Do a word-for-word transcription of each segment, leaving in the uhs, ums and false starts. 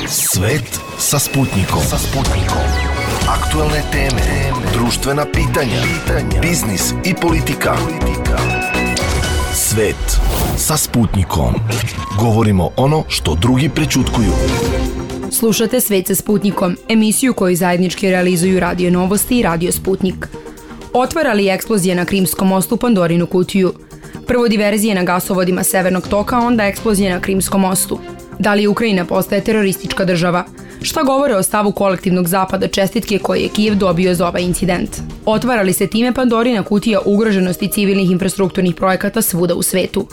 Svet sa Sputnikom. Sa Sputnikom. Aktuelne teme, društvena pitanja, biznis i politika. Svet sa Sputnikom. Govorimo ono što drugi prećutkuju. Slušate Svet sa Sputnikom, emisiju koju zajednički realizuju Radio Novosti i Radio Sputnik. Otvara li eksplozija na Krimskom mostu Pandorinu kutiju? Prvo diverzije na gasovodima Severnog toka, onda eksplozija na Krimskom mostu. Da li Ukrajina postaje teroristička država? Šta govore o stavu kolektivnog zapada čestitke koje je Kijev dobio za ovaj incident? Otvara li se time Pandorina kutija ugroženosti civilnih infrastrukturnih projekata svuda u svetu?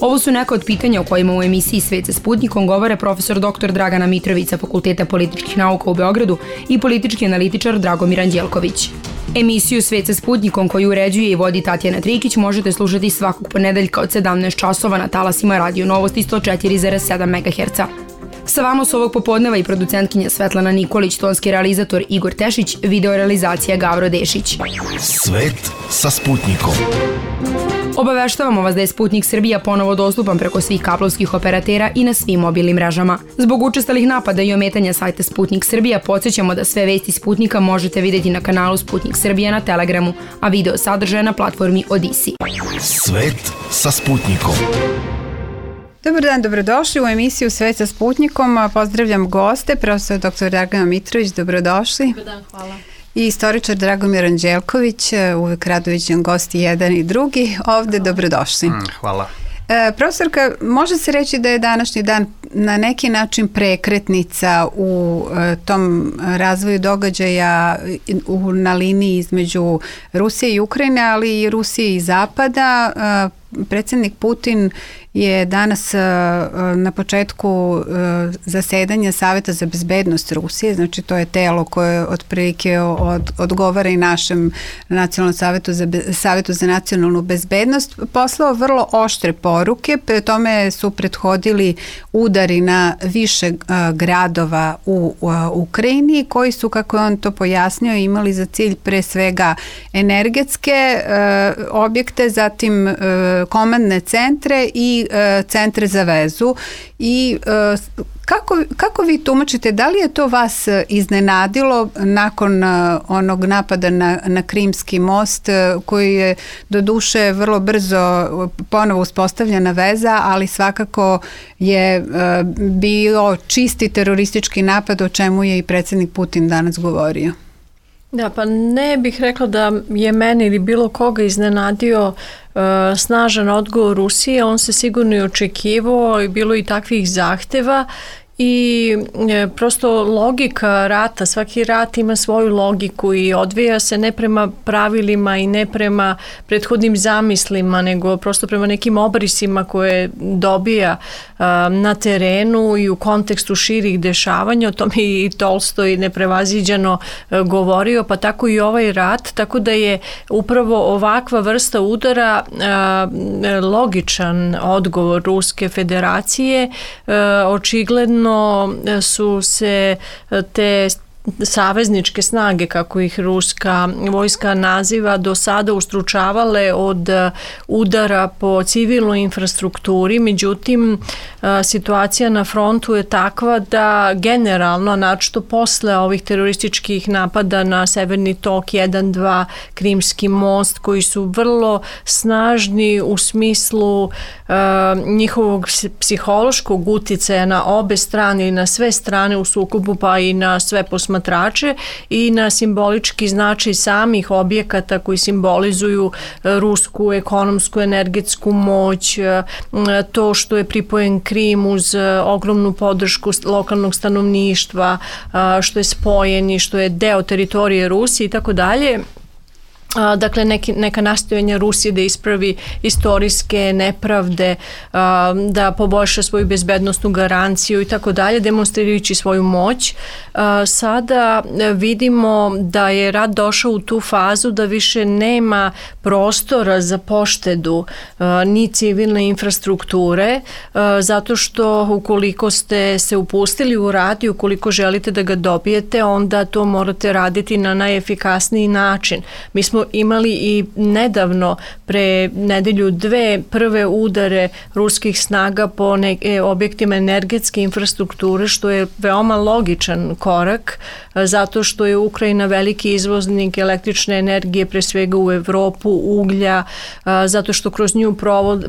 Ovo su neka od pitanja o kojima u emisiji Svet sa Sputnikom govore profesor doktor Dragana Mitrović sa Fakulteta političkih nauka u Beogradu i politički analitičar Dragomir Anđelković. Emisiju Svet sa Sputnikom koju uređuje i vodi Tatjana Trikić možete slušati svakog ponedeljka od sedamnaest časova na talasima Radio Novosti sto četiri zarez sedam megaherca. Sa vama su ovog popodneva i producentkinja Svetlana Nikolić, tonski realizator Igor Tešić, videorealizacija Gavro Dešić. Svet sa Sputnikom. Obaveštavamo vas da je Sputnik Srbija ponovo dostupan preko svih kablovskih operatera i na svim mobilnim mrežama. Zbog učestalih napada i ometanja sajta Sputnik Srbija, podsjećamo da sve vesti Sputnika možete vidjeti na kanalu Sputnik Srbija na Telegramu, a video sadržaje na platformi Odisi. Svet sa Sputnikom. Dobar dan, dobrodošli u emisiju Svet sa Sputnikom. Pozdravljam goste, profesor doktor Dragana Mitrović, dobrodošli. Dobar dan, hvala. I istoričar Dragomir Anđelković, uvek rado viđen gosti jedan i drugi. Ovde, dobrodošli. Mm, hvala. E, profesorka, može se reći da je današnji dan na neki način prekretnica u e, tom razvoju događaja u, na liniji između Rusije i Ukrajine, ali i Rusije i Zapada. E, Predsjednik Putin je danas na početku zasedanja Saveta za bezbednost Rusije, znači to je telo koje otprilike od, odgovara i našem nacionalnom savetu za, savetu za nacionalnu bezbednost, poslao vrlo oštre poruke, pre tome su prethodili udari na više gradova u, u Ukrajini, koji su, kako je on to pojasnio, imali za cilj pre svega energetske objekte, zatim komandne centre i e, centre za vezu. I e, kako, kako vi tumačite, da li je to vas iznenadilo nakon e, onog napada na, na Krimski most, e, koji je doduše vrlo brzo ponovo uspostavljena veza, ali svakako je e, bio čisti teroristički napad, o čemu je i predsjednik Putin danas govorio? Da, pa ne bih rekla da je meni ili bilo koga iznenadio uh, snažan odgovor Rusije. On se sigurno i očekivao i bilo i takvih zahteva i e, prosto logika rata, svaki rat ima svoju logiku i odvija se ne prema pravilima i ne prema prethodnim zamislima, nego prosto prema nekim obrisima koje dobija a, na terenu i u kontekstu širih dešavanja. O tome i Tolstoj neprevaziđeno a, govorio, pa tako i ovaj rat, tako da je upravo ovakva vrsta udara a, logičan odgovor Ruske federacije. A, očigledno su se te savezničke snage, kako ih ruska vojska naziva, do sada ustručavale od udara po civilnoj infrastrukturi. Međutim, situacija na frontu je takva da generalno, naročito posle ovih terorističkih napada na Severni tok jedan, dva, Krimski most, koji su vrlo snažni u smislu uh, njihovog psihološkog uticaja na obe strane i na sve strane u sukobu, pa i na sve posmatrače i na simbolički značaj samih objekata koji simbolizuju rusku ekonomsku, energetsku moć, to što je pripojen Krim uz ogromnu podršku lokalnog stanovništva, što je spojen i što je deo teritorije Rusije i tako dalje. Dakle, neki, neka nastojanja Rusije da ispravi istorijske nepravde, da poboljša svoju bezbednostnu garanciju i tako dalje, demonstrirajući svoju moć. Sada vidimo da je rat došao u tu fazu da više nema prostora za poštedu ni civilne infrastrukture, zato što ukoliko ste se upustili u rat i ukoliko želite da ga dobijete, onda to morate raditi na najefikasniji način. Mi smo smo imali i nedavno, pre nedelju dve, prve udare ruskih snaga po neke objektima energetske infrastrukture, što je veoma logičan korak, zato što je Ukrajina veliki izvoznik električne energije, pre svega u Evropu, uglja, zato što kroz nju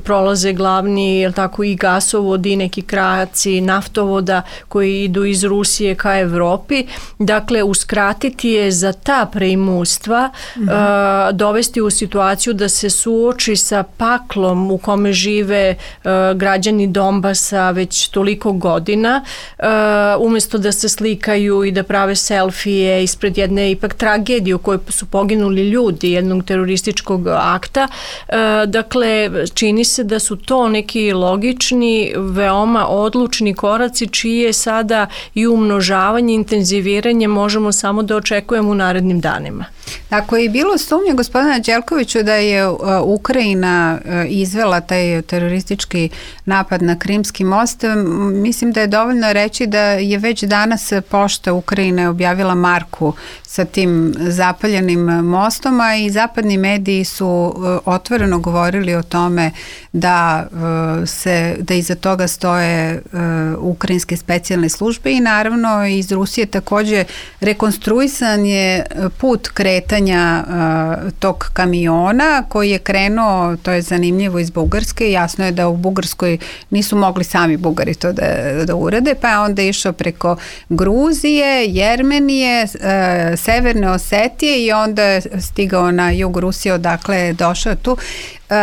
prolaze glavni, jel tako, i gasovodi, neki krajaci naftovoda koji idu iz Rusije ka Evropi. Dakle, uskratiti je za ta preimustva, mm-hmm. uh, dovesti u situaciju da se suoči sa paklom u kome žive uh, građani Donbasa već toliko godina, uh, umjesto da se slikaju i da prave selfije ispred jedne ipak tragedije u kojoj su poginuli ljudi, jednog terorističkog akta. Uh, dakle, čini se da su to neki logični, veoma odlučni koraci čije je sada i umnožavanje, intenziviranje možemo samo da očekujemo u narednim danima. Ako je bilo sumnje gospodina Đelkoviću da je Ukrajina izvela taj teroristički napad na Krimski most, mislim da je dovoljno reći da je već danas pošta Ukrajine objavila marku sa tim zapaljenim mostom, a i zapadni mediji su otvoreno govorili o tome da se da iza toga stoje ukrajinske specijalne službe i naravno iz Rusije takođe rekonstruisan je put kretanja uh, tog kamiona koji je krenuo, to je zanimljivo, iz Bugarske. Jasno je da u Bugarskoj nisu mogli sami Bugari to da, da urade, pa je onda išao preko Gruzije, Jermenije, uh, Severne Osetije i onda je stigao na jug Rusije, odakle je došao tu. Uh,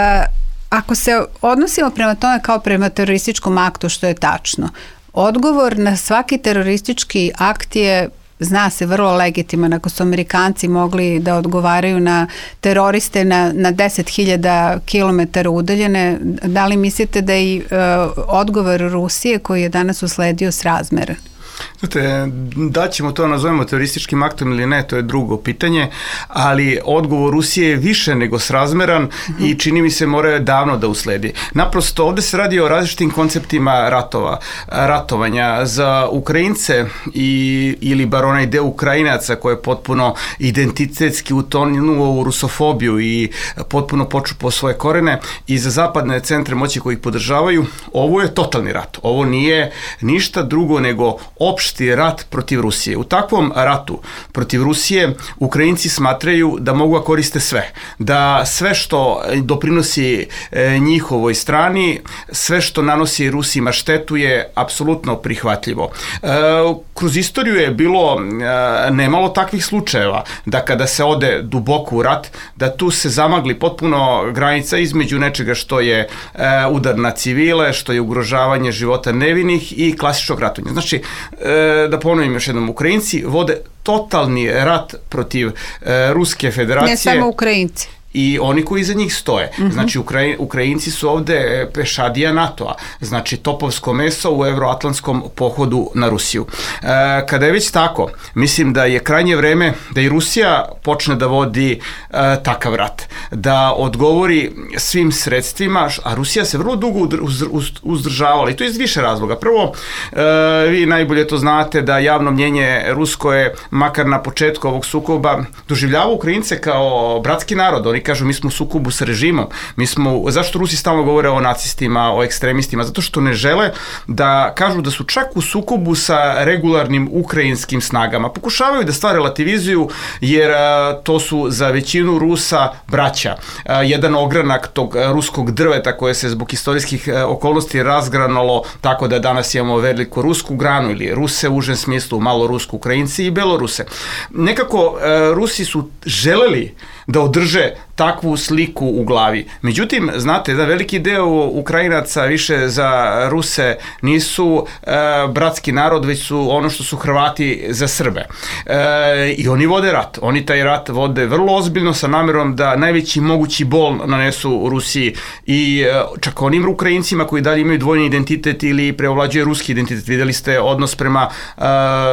ako se odnosimo prema tome kao prema terorističkom aktu, što je tačno, odgovor na svaki teroristički akt je, zna se, vrlo legitiman. Ako su Amerikanci mogli da odgovaraju na teroriste na, na deset hiljada kilometara udaljene, da li mislite da je i uh, odgovor Rusije koji je danas usledio srazmeran? Znate, da ćemo to nazovemo terorističkim aktom ili ne, to je drugo pitanje, ali odgovor Rusije je više nego srazmeran mm-hmm. i čini mi se mora davno da usledi. Naprosto, ovde se radi o različitim konceptima ratova, ratovanja. Za Ukrajince i, ili bar onaj deo Ukrajinaca koji je potpuno identitetski utonuo u rusofobiju i potpuno počupo svoje korene, i za zapadne centre moći koji ih podržavaju, ovo je totalni rat. Ovo nije ništa drugo nego opšti rat protiv Rusije. U takvom ratu protiv Rusije Ukrajinci smatraju da mogu da koriste sve. Da sve što doprinosi e, njihovoj strani, sve što nanosi Rusima štetu je apsolutno prihvatljivo. E, kroz istoriju je bilo e, nemalo takvih slučajeva da kada se ode duboko u rat, da tu se zamagli potpuno granica između nečega što je e, udar na civile, što je ugrožavanje života nevinih i klasičnog ratovanja. Znači, da ponovim još jednom, Ukrajinci vode totalni rat protiv e, Ruske federacije. Ne samo Ukrajinci. I oni koji iza njih stoje. Mm-hmm. Znači, Ukraj, Ukrajinci su ovde pešadija NATO-a, znači topovsko meso u evroatlantskom pohodu na Rusiju. E, kada je već tako, mislim da je krajnje vreme da i Rusija počne da vodi e, takav rat, da odgovori svim sredstvima, a Rusija se vrlo dugo uz, uz, uzdržavala i to iz više razloga. Prvo, e, vi najbolje to znate da javno mnjenje rusko je, makar na početku ovog sukoba, doživljava Ukrajince kao bratski narod. Oni kažu, mi smo u sukobu sa režimom. Mi smo, zašto Rusi stalno govore o nacistima, o ekstremistima? Zato što ne žele da kažu da su čak u sukobu sa regularnim ukrajinskim snagama. Pokušavaju da stvar relativizuju, jer a, to su za većinu Rusa braća. A, jedan ogranak tog a, ruskog drveta koje se zbog istorijskih a, okolnosti razgranalo tako da danas imamo veliku rusku granu ili Ruse u užem smislu, malo rusku Ukrajinci i Beloruse. Nekako a, Rusi su želeli da održe takvu sliku u glavi. Međutim, znate, da veliki deo Ukrajinaca više za Ruse nisu e, bratski narod, već su ono što su Hrvati za Srbe. E, I oni vode rat. Oni taj rat vode vrlo ozbiljno sa namerom da najveći mogući bol nanesu u Rusiji i e, čak onim Ukrajincima koji dalje imaju dvojni identitet ili preovlađuje ruski identitet. Videli ste odnos prema e,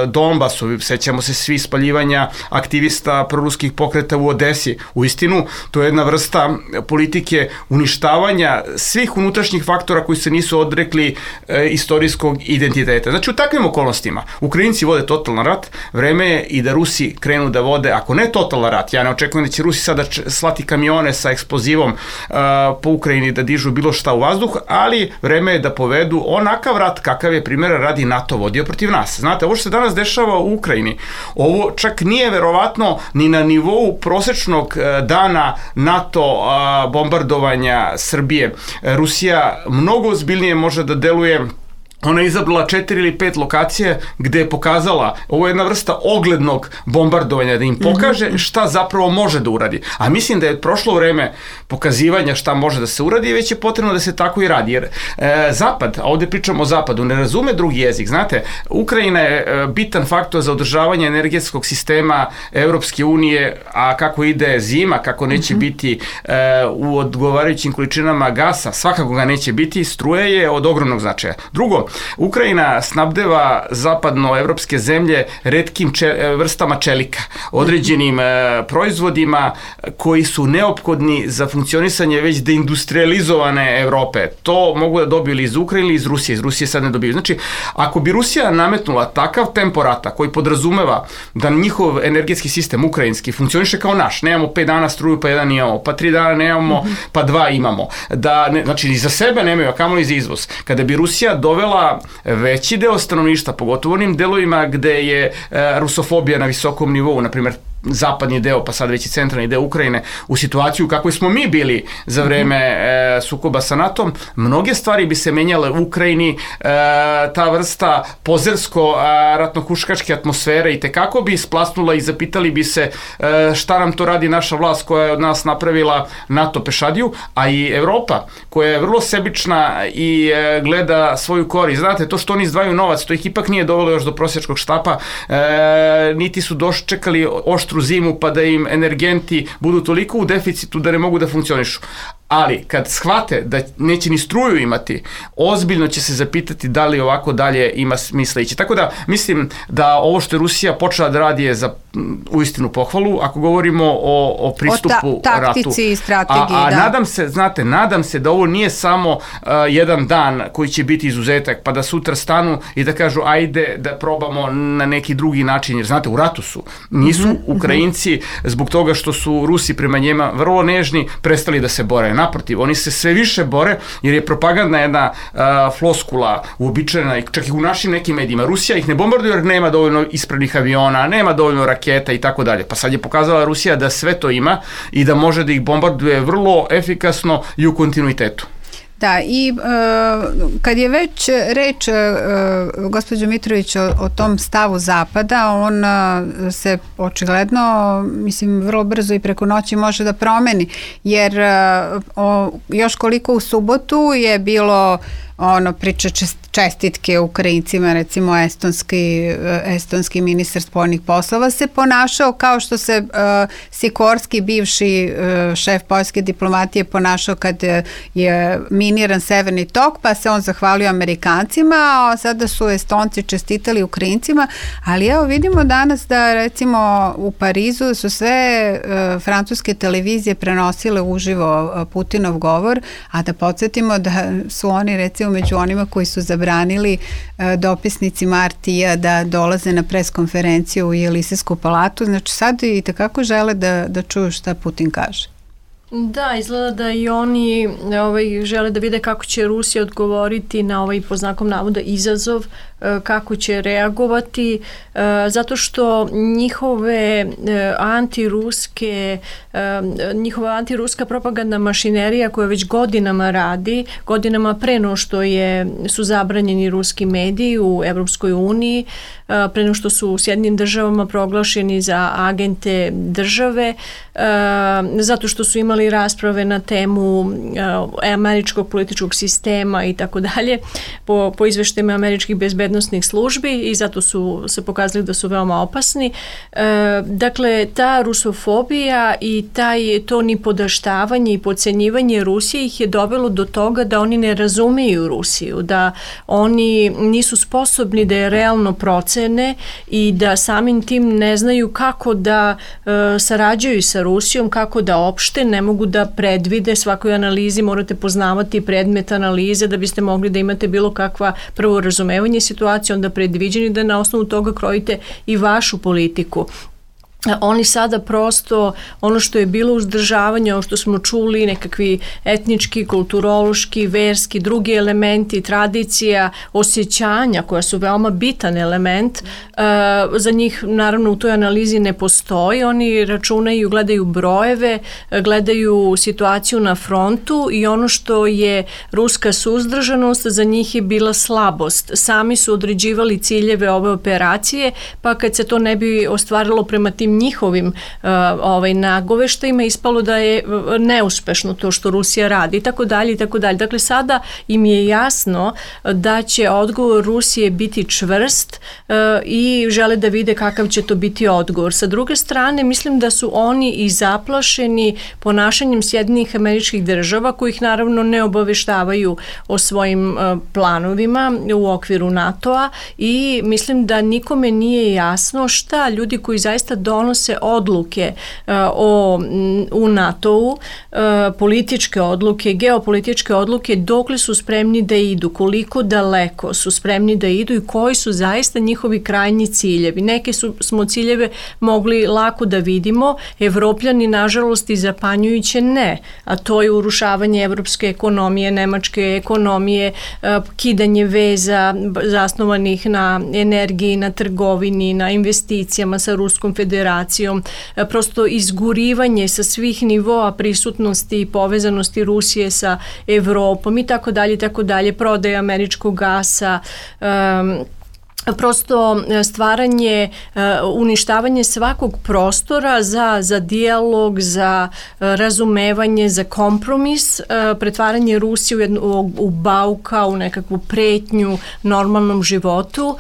Donbasu, sećamo se svi spaljivanja aktivista proruskih pokreta u Odesi. U istinu, To je jedna vrsta politike uništavanja svih unutrašnjih faktora koji se nisu odrekli e, istorijskog identiteta. Znači, u takvim okolnostima Ukrajinci vode totalan rat, vreme je i da Rusi krenu da vode, ako ne totalan rat, ja ne očekujem da će Rusi sada slati kamione sa eksplozivom uh, po Ukrajini da dižu bilo šta u vazduh, ali vreme je da povedu onakav rat kakav je primjera radi NATO vodio protiv nas. Znate, ovo što se danas dešava u Ukrajini, ovo čak nije verovatno ni na nivou prosečnog uh, dana NATO uh, bombardovanja Srbije. Rusija mnogo ozbiljnije može da deluje. Ona je izabrala četiri ili pet lokacije gde je pokazala, ovo je jedna vrsta oglednog bombardovanja, da im pokaže šta zapravo može da uradi. A mislim da je prošlo vreme pokazivanja šta može da se uradi i već je potrebno da se tako i radi. Jer e, Zapad, a ovde pričamo o Zapadu, ne razume drugi jezik. Znate, Ukrajina je e, bitan faktor za održavanje energetskog sistema Evropske unije, a kako ide zima, kako neće mm-hmm. biti e, u odgovarajućim količinama gasa, svakako ga neće biti, struje je od ogromnog značaja. Drugo, Ukrajina snabdeva zapadnoevropske zemlje retkim če, vrstama čelika, određenim e, proizvodima koji su neophodni za funkcionisanje već deindustrializovane Evrope. To mogu da dobiju ili iz Ukrajine ili iz Rusije. Iz Rusije sad ne dobiju. Znači, ako bi Rusija nametnula takav tempo rata koji podrazumeva da njihov energetski sistem ukrajinski funkcioniše kao naš, nemamo pet dana struju pa jedan imamo, pa tri dana nemamo, mm-hmm. pa dva imamo. Da, ne, znači, i za sebe nemaju, a kamoli za izvoz. Kada bi Rusija dovela veći deo stanovništva, pogotovo onim delovima gde je e, rusofobija na visokom nivou, na primjer zapadni deo, pa sad već i centralni deo Ukrajine, u situaciju kakvoj smo mi bili za vreme e, sukoba sa NATO-om, mnoge stvari bi se menjale u Ukrajini, e, ta vrsta pozersko-ratnohuškačke atmosfere i tekako bi isplasnula i zapitali bi se e, šta nam to radi naša vlast koja je od nas napravila NATO pešadiju, a i Evropa koja je vrlo sebična i e, gleda svoju korist. Znate, to što oni izdvajaju novac, to ih ipak nije dovelo još do prosječkog štapa, e, niti su dočekali oštru zimu pa da im energenti budu toliko u deficitu da ne mogu da funkcionišu. Ali kad shvate da neće ni struju imati, ozbiljno će se zapitati da li ovako dalje ima smisla ići. Tako da mislim da ovo što je Rusija počela da radi je za uistinu pohvalu, ako govorimo o, o pristupu o ta, taktici ratu. I strategiji, a, a da. nadam se, znate, nadam se da ovo nije samo uh, jedan dan koji će biti izuzetak, pa da sutra stanu i da kažu ajde da probamo na neki drugi način, jer znate, u ratu su. Nisu mm-hmm. Ukrajinci zbog toga što su Rusi prema njima vrlo nežni prestali da se bore. Naprotiv, oni se sve više bore jer je propagandna jedna uh, floskula uobičajena, čak i u našim nekim medijima. Rusija ih ne bombarduje jer nema dovoljno ispravnih aviona, nema dovoljno raketa i tako dalje. Pa sad je pokazala Rusija da sve to ima i da može da ih bombarduje vrlo efikasno i u kontinuitetu. Da, i uh, kad je već reč, uh, gospođo Mitrović, o, o tom stavu Zapada, on uh, se očigledno, mislim, vrlo brzo i preko noći može da promeni, jer uh, o, još koliko u subotu je bilo ono priča čestitke Ukrajincima, recimo estonski, estonski ministar spoljnih poslova se ponašao kao što se uh, Sikorski, bivši uh, šef poljske diplomatije, ponašao kad je miniran Severni tok, pa se on zahvalio Amerikancima, a sada su Estonci čestitali Ukrajincima, ali evo vidimo danas da recimo u Parizu su sve uh, francuske televizije prenosile uživo uh, Putinov govor, a da podsjetimo da su oni recimo među onima koji su zabranili e, dopisnicima R T-a da dolaze na preskonferenciju u Jelisejsku palatu. Znači sad i takako žele da, da čuju šta Putin kaže. Da, izgleda da i oni ovaj, žele da vide kako će Rusija odgovoriti na ovaj, po znakom navoda, izazov, kako će reagovati, zato što njihove antiruske, njihova antiruska propagandna mašinerija koja već godinama radi, godinama pre no što je, su zabranjeni ruski mediji u Evropskoj uniji, pre no što su u Sjedinjenim državama proglašeni za agente države, zato što su imali rasprave na temu američkog političkog sistema i tako dalje, po, po izveštajima američkih bezbednosnih bezbednostnih službi i zato su se pokazali da su veoma opasni. E, dakle, ta rusofobija i taj, to nipodaštavanje i podcenjivanje Rusije ih je dovelo do toga da oni ne razumeju Rusiju, da oni nisu sposobni da je realno procene i da samim tim ne znaju kako da e, sarađuju sa Rusijom, kako da opšte, ne mogu da predvide. Svakoj analizi morate poznavati predmet analize da biste mogli da imate bilo kakva prvo razumevanje situacije, onda predviđeni da na osnovu toga krojite i vašu politiku. Oni sada prosto, ono što je bilo uzdržavanje, ono što smo čuli, nekakvi etnički, kulturološki, verski, drugi elementi, tradicija, osjećanja koja su veoma bitan element, za njih naravno u toj analizi ne postoji. Oni računaju, gledaju brojeve, gledaju situaciju na frontu i ono što je ruska suzdržanost za njih je bila slabost. Sami su određivali ciljeve ove operacije, pa kad se to ne bi ostvarilo prema tim njihovim uh, ovaj, nagoveštajima, ispalo da je neuspešno to što Rusija radi i tako dalje i tako dalje. Dakle, sada im je jasno da će odgovor Rusije biti čvrst uh, i žele da vide kakav će to biti odgovor. Sa druge strane, mislim da su oni i zaplašeni ponašanjem Sjedinjenih Američkih Država, kojih naravno ne obaveštavaju o svojim uh, planovima u okviru NATO-a, i mislim da nikome nije jasno šta ljudi koji zaista donose odluke uh, o, u NATO-u, uh, političke odluke, geopolitičke odluke, dokle su spremni da idu, koliko daleko su spremni da idu i koji su zaista njihovi krajnji ciljevi. Neke su, smo ciljeve mogli lako da vidimo, Evropljani nažalost i zapanjujuće ne, a to je urušavanje evropske ekonomije, nemačke ekonomije, uh, kidanje veza zasnovanih na energiji, na trgovini, na investicijama sa Ruskom federacijom, prosto izgurivanje sa svih nivoa prisutnosti i povezanosti Rusije sa Evropom i tako dalje, tako dalje, prodaja američkog gasa, um, prosto stvaranje, uništavanje svakog prostora za, za dijalog, za razumevanje, za kompromis, pretvaranje Rusije u, jednu, u bauka, u nekakvu pretnju normalnom životu,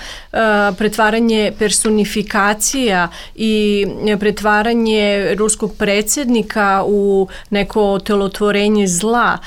pretvaranje personifikacija i pretvaranje ruskog predsjednika u neko telotvorenje zla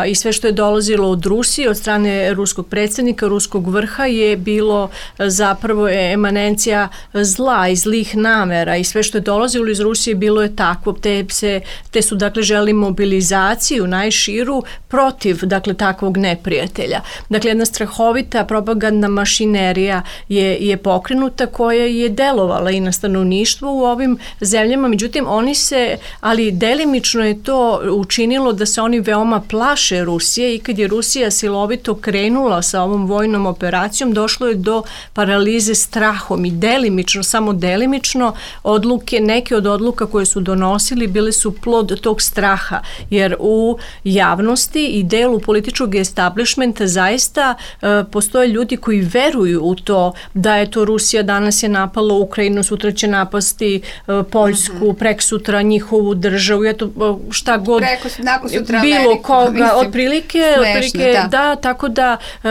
i sve što je dolazilo od Rusije, od strane ruskog predsjednika, ruskog vrha je bilo zapravo je emanencija zla i zlih namera i sve što je dolazilo iz Rusije bilo je takvo. Te, se, te su dakle želi mobilizaciju najširu protiv dakle takvog neprijatelja. Dakle jedna strahovita propagandna mašinerija je, je pokrenuta koja je delovala i na stanovništvo u ovim zemljama. Međutim oni se, ali delimično je to učinilo da se oni veoma plaše Rusije i kad je Rusija silovito krenula sa ovom vojnom operacijom došlo je do paralize strahom i delimično, samo delimično odluke, neke od odluka koje su donosili bile su plod tog straha, jer u javnosti i delu političkog establishmenta zaista e, postoje ljudi koji veruju u to da je to Rusija danas je napala Ukrajinu, sutra će napasti e, Poljsku, mm-hmm. preksutra njihovu državu, eto šta god Preko, nakon sutra bilo Ameriku, koga, mislim, otprilike, smešno, otprilike da. da, tako da e,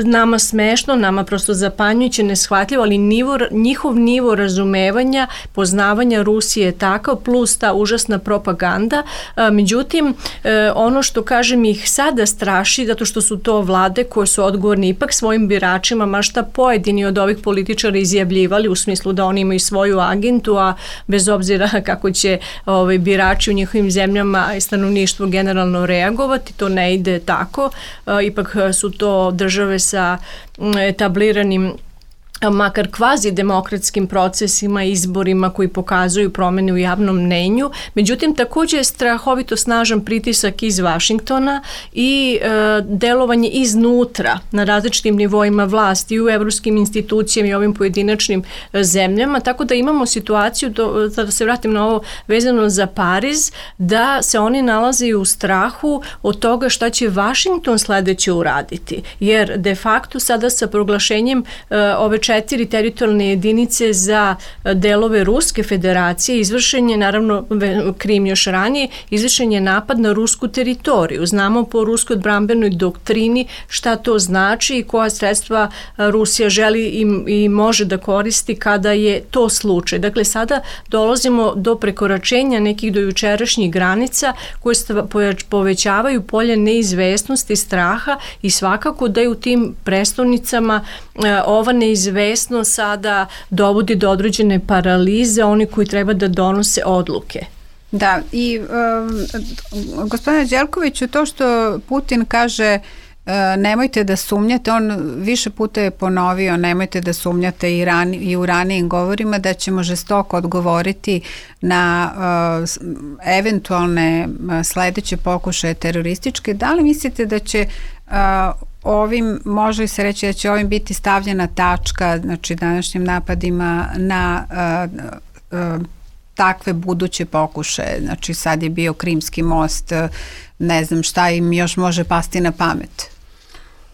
nama smešno, nama prosto zapanjujuće, neshvatljivo, ali nivo, njihov nivo razumevanja, poznavanja Rusije je takav, plus ta užasna propaganda. A, međutim, e, ono što kažem ih sada straši, zato što su to vlade koje su odgovorni ipak svojim biračima, ma šta pojedini od ovih političara izjavljivali u smislu da oni imaju svoju agentu, a bez obzira kako će ovaj, birači u njihovim zemljama i stanovništvo generalno reagovati, to ne ide tako. A, ipak su to države sa etabliranim makar kvazi demokratskim procesima, izborima koji pokazuju promene u javnom mnenju. Međutim, također je strahovito snažan pritisak iz Vašingtona i e, delovanje iznutra na različitim nivoima vlasti i u evropskim institucijama i ovim pojedinačnim e, zemljama, tako da imamo situaciju, do, da se vratim na ovo vezano za Pariz, da se oni nalaze u strahu od toga šta će Vašington sledeće uraditi. Jer de facto sada sa proglašenjem e, ove četiri teritorijalne jedinice za delove Ruske federacije, izvršen je, naravno Krim još ranije, izvršen je napad na rusku teritoriju. Znamo po ruskoj odbrambenoj doktrini šta to znači i koja sredstva Rusija želi i, i može da koristi kada je to slučaj. Dakle, sada dolazimo do prekoračenja nekih do jučerašnjih granica koje povećavaju polje neizvesnosti, straha i svakako da je u tim prestolnicama ova neizvesnost sada dovodi do određene paralize, oni koji treba da donose odluke. Da, i um, gospodine Đelkoviću, to što Putin kaže nemojte da sumnjate, on više puta je ponovio nemojte da sumnjate i, rani, i u ranijim govorima da ćemo žestoko odgovoriti na uh, eventualne sledeće pokušaje terorističke. Da li mislite da će uh, ovim, može se reći da će ovim biti stavljena tačka, znači današnjim napadima na uh, uh, takve buduće pokušaje? Znači sad je bio Krimski most, ne znam šta im još može pasti na pamet.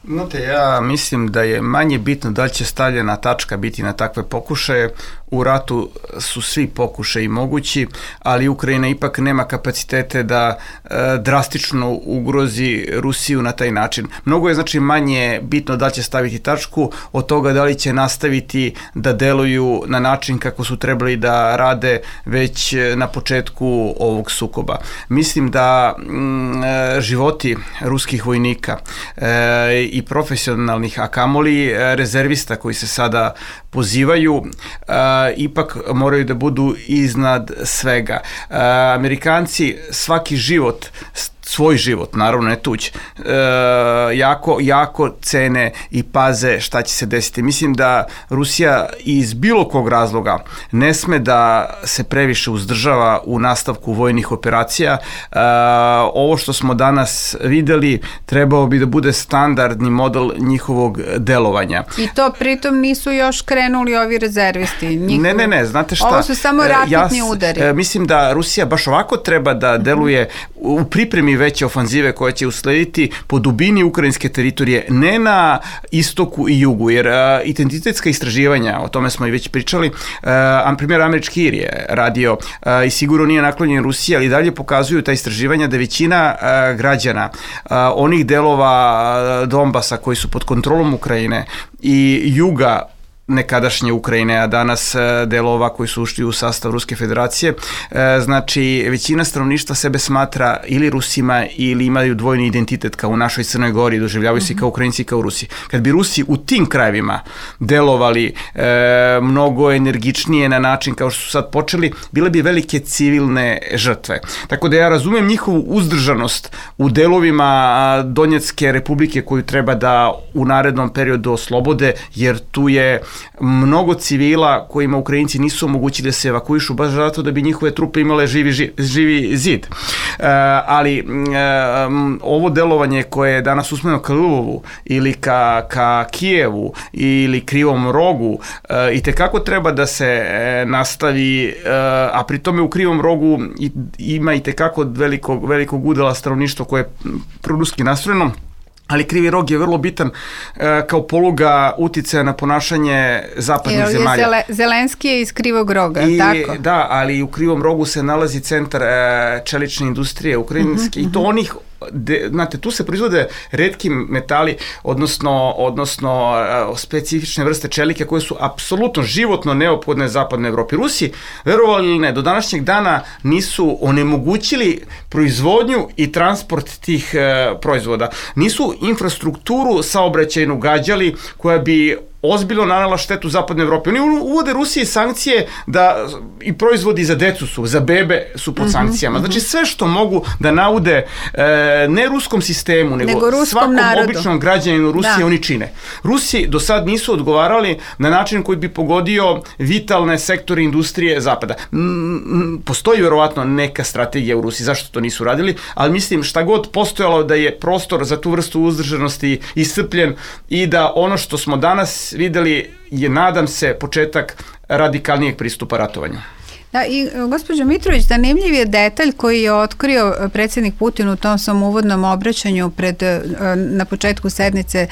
Znate, ja mislim da je manje bitno da li će stavljena tačka biti na takve pokušaje. U ratu su svi pokušaji mogući, ali Ukrajina ipak nema kapacitete da e, drastično ugrozi Rusiju na taj način. Mnogo je znači manje bitno da li će staviti tačku od toga da li će nastaviti da deluju na način kako su trebali da rade već na početku ovog sukoba. Mislim da m, životi ruskih vojnika e, i profesionalnih, a kamoli rezervista koji se sada pozivaju, a, ipak moraju da budu iznad svega. A, Amerikanci svaki život, svoj život, naravno ne tuđ, e, jako, jako cene i paze šta će se desiti. Mislim da Rusija iz bilo kog razloga ne sme da se previše uzdržava u nastavku vojnih operacija. E, ovo što smo danas videli trebao bi da bude standardni model njihovog delovanja. I to pritom nisu još krenuli ovi rezervisti. Njihov... Ne, ne, ne, znate šta? Ovo su samo raketni ja, udari. E, mislim da Rusija baš ovako treba da deluje u pripremi veće ofanzive koje će uslediti po dubini ukrajinske teritorije, ne na istoku i jugu, jer uh, identitetska istraživanja, o tome smo i već pričali, uh, primjer američki ir je radio uh, i sigurno nije naklonjen Rusiji, ali dalje pokazuju ta istraživanja da većina uh, građana uh, onih delova uh, Donbasa koji su pod kontrolom Ukrajine i juga nekadašnje Ukrajine, a danas delova koji su ušli u sastav Ruske federacije. Znači, većina stanovništva sebe smatra ili Rusima ili imaju dvojni identitet kao u našoj Crnoj Gori, doživljavaju se kao Ukrajinci i kao Rusi. Kad bi Rusi u tim krajevima delovali e, mnogo energičnije na način kao što su sad počeli, bile bi velike civilne žrtve. Tako da ja razumem njihovu uzdržanost u delovima Donjecke republike koju treba da u narednom periodu oslobode, jer tu je mnogo civila kojima Ukrajinci nisu omogućili da se evakuišu baš zato da bi njihove trupe imale živi, ži, živi zid. E, ali e, ovo delovanje koje je danas usmereno ka Lvovu ili ka, ka Kijevu ili Krivom Rogu e, i tekako treba da se e, nastavi, e, a pri tome u Krivom Rogu i, ima i tekako velikog, velikog udela stanovništva koje je proruski nastrojeno. Ali Krivi Rog je vrlo bitan e, kao poluga uticaja na ponašanje zapadnih Jer zemalja. Zele, Zelenski je iz Krivog Roga, I, tako? Da, ali u Krivom Rogu se nalazi centar e, čelične industrije ukrajinske uh-huh, i to uh-huh. onih De, znate, tu se proizvode retki metali, odnosno, odnosno uh, specifične vrste čelike koje su apsolutno životno neophodne zapadnoj Evropi. Rusi, verovali ili ne, do današnjeg dana nisu onemogućili proizvodnju i transport tih uh, proizvoda. Nisu infrastrukturu saobraćajnu gađali koja bi ozbiljno nanela štetu zapadnoj Evropi. Oni uvode Rusiji sankcije da i proizvodi za decu su, za bebe su pod sankcijama. Znači sve što mogu da naude e, ne ruskom sistemu, nego, nego svakom narodu. Običnom građaninu Rusije da. Oni čine. Rusi do sad nisu odgovarali na način koji bi pogodio vitalne sektore industrije zapada. Postoji verovatno neka strategija u Rusiji zašto to nisu radili, ali mislim šta god postojalo da je prostor za tu vrstu uzdržanosti iscrpljen i da ono što smo danas videli je, nadam se, početak radikalnijeg pristupa ratovanju. Da, i gospođo Mitrović, zanimljiv je detalj koji je otkrio predsjednik Putin u tom svom uvodnom obraćanju pred, na početku sednice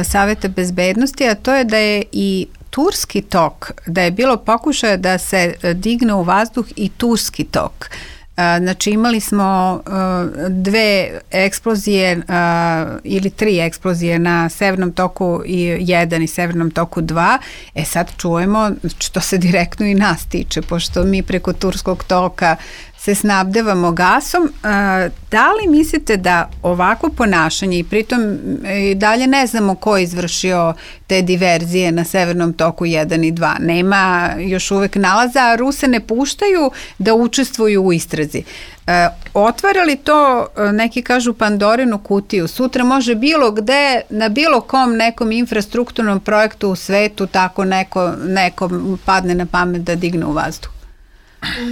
Saveta bezbednosti, a to je da je i Turski tok, da je bilo pokušaja da se digne u vazduh i Turski tok. Znači imali smo dve eksplozije ili tri eksplozije na Severnom toku jedan i Severnom toku dva. E sad čujemo što se direktno i nas tiče, pošto mi preko Turskog toka se snabdevamo gasom. Da li mislite da ovako ponašanje, i pritom i dalje ne znamo ko je izvršio te diverzije na Severnom toku jedan i dva, nema još uvek nalaza, a Ruse ne puštaju da učestvuju u istrazi. Otvara li to, neki kažu, Pandorinu kutiju? Sutra može bilo gde, na bilo kom nekom infrastrukturnom projektu u svetu tako neko, nekom padne na pamet da digne u vazduh.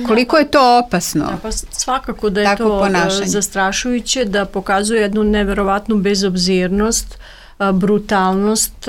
Koliko je to opasno? Da, pa svakako da je to ponašanje zastrašujuće, da pokazuje jednu neverovatnu bezobzirnost, brutalnost,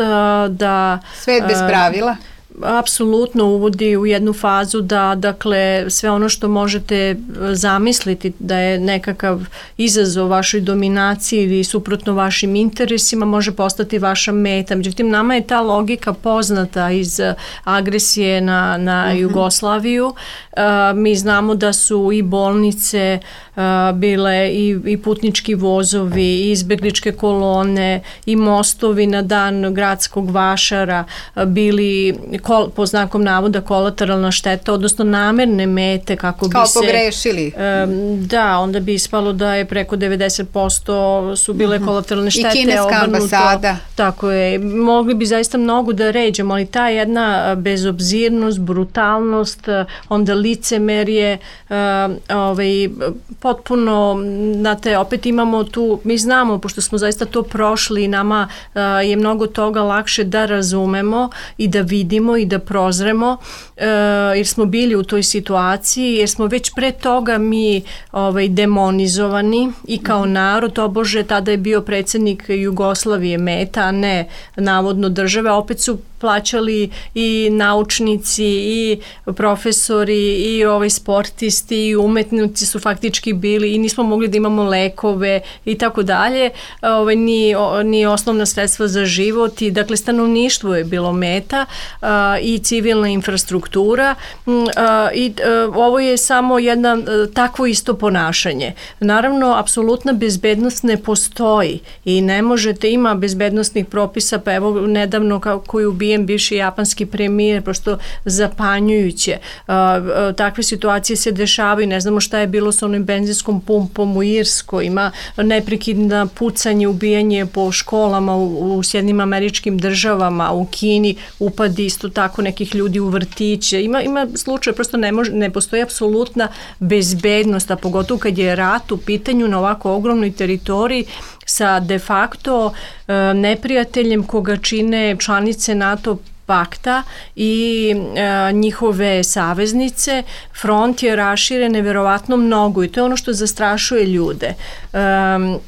da svet bez pravila. Apsolutno uvodi u jednu fazu da, dakle, sve ono što možete zamisliti da je nekakav izazov vašoj dominaciji ili suprotno vašim interesima može postati vaša meta. Međutim, nama je ta logika poznata iz agresije na, na mm-hmm. Jugoslaviju. Uh, mi znamo da su i bolnice uh, bile i, i putnički vozovi, i izbegličke kolone, i mostovi na dan gradskog vašara uh, bili Kol, po znakom navoda kolateralna šteta, odnosno namerne mete kako bi kao se... Kao pogrešili. Um, da, onda bi ispalo da je preko devedeset posto su bile mm-hmm. kolateralne štete. I kineska ambasada. Tako je. Mogli bi zaista mnogo da ređemo, ali ta jedna bezobzirnost, brutalnost, onda licemerje, uh, ovaj, potpuno, znate, opet imamo tu, mi znamo, pošto smo zaista to prošli, nama uh, je mnogo toga lakše da razumemo i da vidimo i da prozremo, uh, jer smo bili u toj situaciji, jer smo već pre toga mi ovaj, demonizovani i kao narod, tobože tada je bio predsjednik Jugoslavije meta, a ne navodno države, opet su plaćali i naučnici i profesori i ovaj sportisti i umetnici su faktički bili i nismo mogli da imamo lekove i tako dalje, ovaj, ni, ni osnovna sredstva za život i dakle stanovništvo je bilo meta uh, i civilna infrastruktura uh, i uh, ovo je samo jedna uh, takvo isto ponašanje. Naravno, apsolutna bezbednost ne postoji i ne možete, ima bezbednostnih propisa, pa evo nedavno kako je ubijen bivši japanski premijer, prosto zapanjujuće. Uh, uh, takve situacije se dešavaju, ne znamo šta je bilo sa onim benzinskom pumpom u Irskoj, ima neprekidna pucanje, ubijanje po školama u, u Sjedinjenim Američkim Državama, u Kini, upadi isto tako nekih ljudi u vrtiće. Ima, ima slučaj, prosto ne, može, ne postoji apsolutna bezbednost, a pogotovo kad je rat u pitanju na ovako ogromnoj teritoriji sa de facto e, neprijateljem koga čine članice NATO pakta i e, njihove saveznice. Front je raširen neverovatno mnogo i to je ono što zastrašuje ljude. E,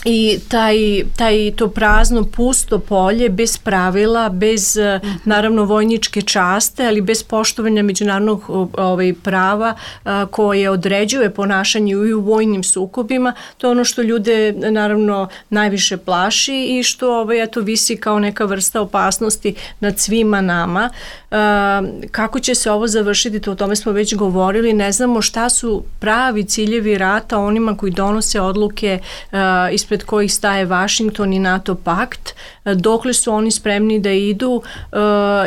I taj, taj to prazno, pusto polje, bez pravila, bez uh-huh. naravno vojničke časte, ali bez poštovanja međunarodnog ovaj, prava a, koje određuje ponašanje i u vojnim sukobima, to je ono što ljude naravno najviše plaši i što ovaj, eto, visi kao neka vrsta opasnosti nad svima nama. A, kako će se ovo završiti, to o tome smo već govorili, ne znamo šta su pravi ciljevi rata onima koji donose odluke a, ispred pred kojih staje Washington i NATO pakt, dokle su oni spremni da idu uh,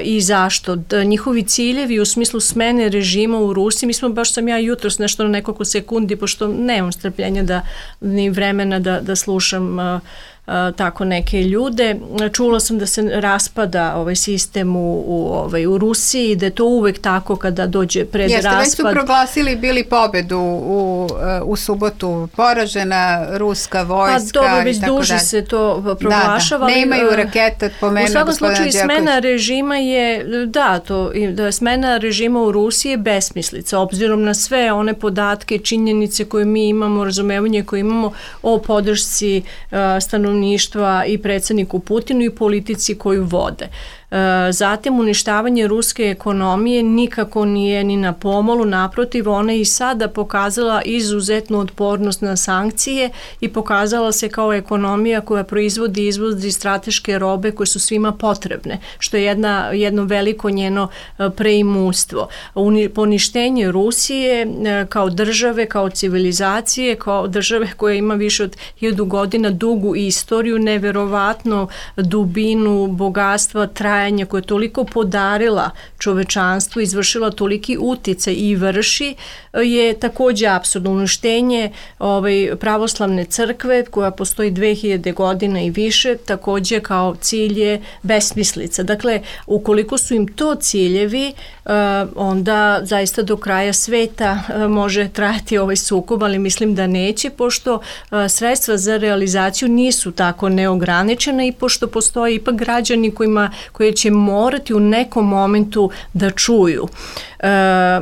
i zašto. Da, njihovi ciljevi u smislu smene režima u Rusiji, mi smo, baš sam ja jutros nešto na nekoliko sekundi, pošto nemam strpljenja da, ni vremena da, da slušam uh, Uh, tako neke ljude. Čula sam da se raspada ovaj sistem u, u, ovaj, u Rusiji, da je to uvek tako kada dođe pred Jeste, raspad. Jeste, već su proglasili bili pobedu u, u subotu, poražena ruska vojska. Pa dobro, već duže dalje. Se to proglašava. Da, da. Ne imaju raketa, pomenu. U svakom slučaju smena režima je, da, to, da smena režima u Rusiji je besmislica, obzirom na sve one podatke, činjenice koje mi imamo, razumevanje koje imamo o podršci uh, stanovništva i predsjedniku Putinu i politici koju vode. Zatim uništavanje ruske ekonomije nikako nije ni na pomolu, naprotiv, ona je i sada pokazala izuzetnu otpornost na sankcije i pokazala se kao ekonomija koja proizvodi i izvozi strateške robe koje su svima potrebne, što je jedna, jedno veliko njeno preimustvo. Poništenje Rusije kao države, kao civilizacije, kao države koja ima više od hiljadu godina dugu istoriju, neverovatno dubinu, bogatstva, trajanja koje je toliko podarila čovečanstvu, izvršila toliki uticaj i vrši, je takođe apsurdno. Uništenje ovaj, pravoslavne crkve koja postoji dve hiljade godina i više, takođe kao cilj je besmislica. Dakle, ukoliko su im to ciljevi, onda zaista do kraja sveta može trajati ovaj sukob, ali mislim da neće, pošto sredstva za realizaciju nisu tako neograničena i pošto postoje ipak građani kojima, koji će morati u nekom momentu da čuju. E,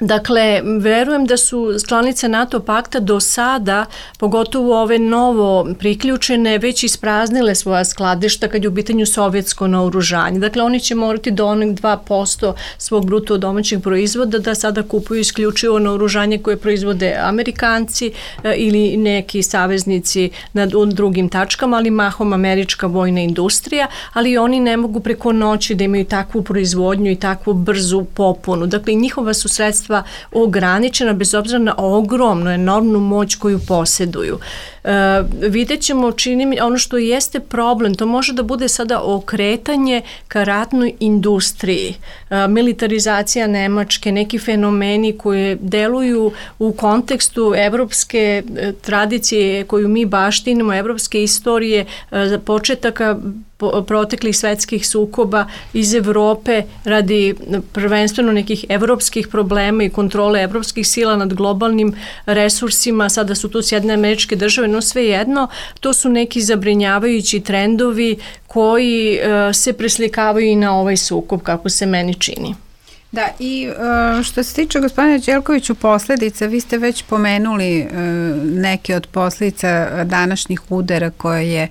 Dakle, verujem da su članice NATO pakta do sada, pogotovo ove novo priključene, već ispraznile svoja skladišta kad je u pitanju sovjetsko naoružanje. Dakle, oni će morati do onih dva posto svog bruto domaćeg proizvoda da sada kupuju isključivo naoružanje koje proizvode Amerikanci ili neki saveznici na drugim tačkama, ali mahom američka vojna industrija, ali oni ne mogu preko noći da imaju takvu proizvodnju i takvu brzu popunu. Dakle, njihova su sredstva ograničena bez obzira na ogromnu, enormnu moć koju posjeduju. E, vidjet ćemo, čini mi, ono što jeste problem, to može da bude sada okretanje ka ratnoj industriji, e, militarizacija Nemačke, neki fenomeni koje deluju u kontekstu evropske e, tradicije koju mi baštinimo, evropske istorije, e, za početaka proteklih svetskih sukoba iz Evrope radi prvenstveno nekih evropskih problema i kontrole evropskih sila nad globalnim resursima, sada su tu Sjedinjene Američke Države, no svejedno, to su neki zabrinjavajući trendovi koji uh, se preslikavaju i na ovaj sukob, kako se meni čini. Da, i uh, što se tiče gospodine Đelkoviću posledica, vi ste već pomenuli uh, neke od posledica današnjih udara koje je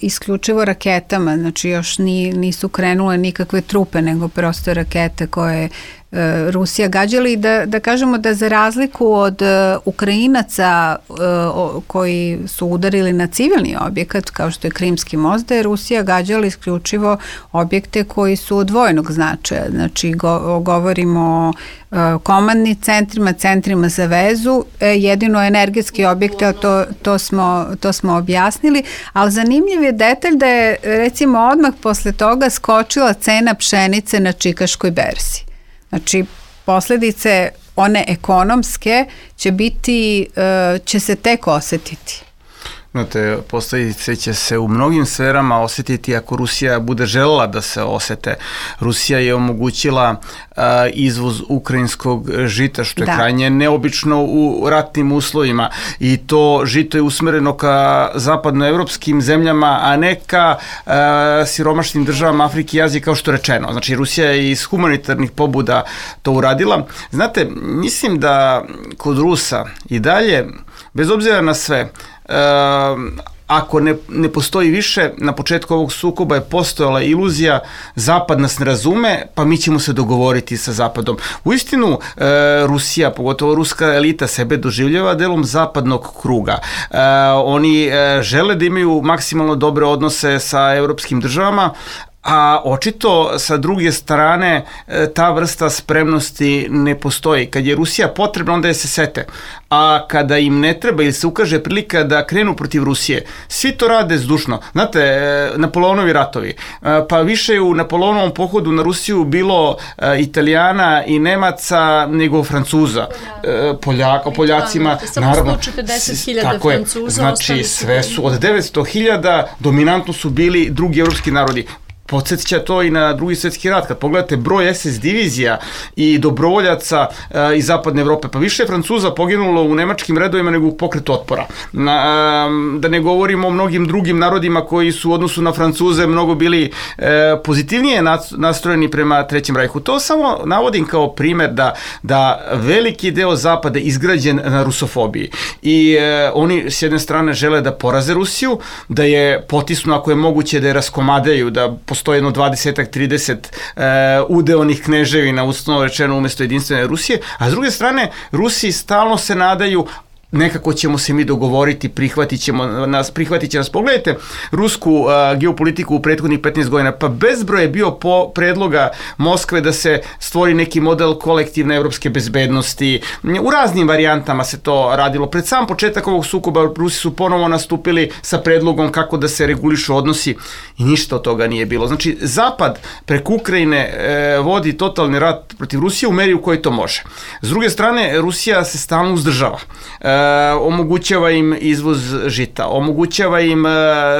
isključivo raketama, znači još ni, nisu krenule nikakve trupe, nego prosto rakete koje e, Rusija gađala i da, da kažemo da za razliku od e, Ukrajinaca e, o, koji su udarili na civilni objekat kao što je Krimski most, da je Rusija gađala isključivo objekte koji su od vojnog značaja, znači go, govorimo o komandnim centrima, centrima za vezu, jedino energetski objekte, to, to, smo, to smo objasnili, ali zanimljiv je detalj da je recimo odmah posle toga skočila cena pšenice na čikaškoj berzi. Znači, posledice one ekonomske će biti, će se tek osetiti. Znate, posledice će se u mnogim sferama osetiti ako Rusija bude želela da se osete. Rusija je omogućila a, izvoz ukrajinskog žita, što je da. krajnje neobično u ratnim uslovima, i to žito je usmereno ka zapadnoevropskim zemljama, a ne ka a, siromašnim državama Afrike i Azije, kao što je rečeno. Znači, Rusija je iz humanitarnih pobuda to uradila. Znate, mislim da kod Rusa i dalje, bez obzira na sve, Uh, ako ne, ne postoji više, na početku ovog sukoba je postojala iluzija Zapad nas ne razume, pa mi ćemo se dogovoriti sa Zapadom. Uistinu, uh, Rusija, pogotovo ruska elita, sebe doživljava delom zapadnog kruga. Uh, oni uh, žele da imaju maksimalno dobre odnose sa evropskim državama, a očito sa druge strane ta vrsta spremnosti ne postoji. Kad je Rusija potrebna, onda je se sete. A kada im ne treba ili se ukaže prilika da krenu protiv Rusije, svi to rade zdušno. Znate, Napoleonovi ratovi, pa više je u Napoleonovom pohodu na Rusiju bilo Italijana i Nemaca nego Francuza. Poljaka, Poljacima, naravno, tako je, znači sve su, od devetsto hiljada dominantno su bili drugi evropski narodi. Podsjeća to i na drugi svjetski rat. Kad pogledate broj es es divizija i dobrovoljaca e, iz zapadne Evrope, pa više je Francuza poginulo u nemačkim redovima nego u pokretu otpora. Na, e, da ne govorimo o mnogim drugim narodima koji su u odnosu na Francuze mnogo bili e, pozitivnije nastrojeni prema Trećem rajhu. To samo navodim kao primjer da, da veliki deo Zapada je izgrađen na rusofobiji. I e, oni s jedne strane žele da poraze Rusiju, da je potisnu ako je moguće, da je raskomadaju, da postoji jedno dvadeset trideset uh, udeonih kneževina, uslovno rečeno, umesto jedinstvene Rusije, a s druge strane, Rusi stalno se nadaju nekako ćemo se mi dogovoriti, prihvatit ćemo nas, prihvatit će nas. Pogledajte rusku uh, geopolitiku u prethodnih petnaest godina, pa bezbroj je bio po predloga Moskve da se stvori neki model kolektivne evropske bezbednosti. U raznim varijantama se to radilo. Pred sam početak ovog sukoba Rusi su ponovo nastupili sa predlogom kako da se regulišu odnosi i ništa od toga nije bilo. Znači, Zapad preko Ukrajine e, vodi totalni rat protiv Rusije u meri u kojoj to može. S druge strane, Rusija se stalno uzdržava. E, omogućava im izvoz žita, omogućava im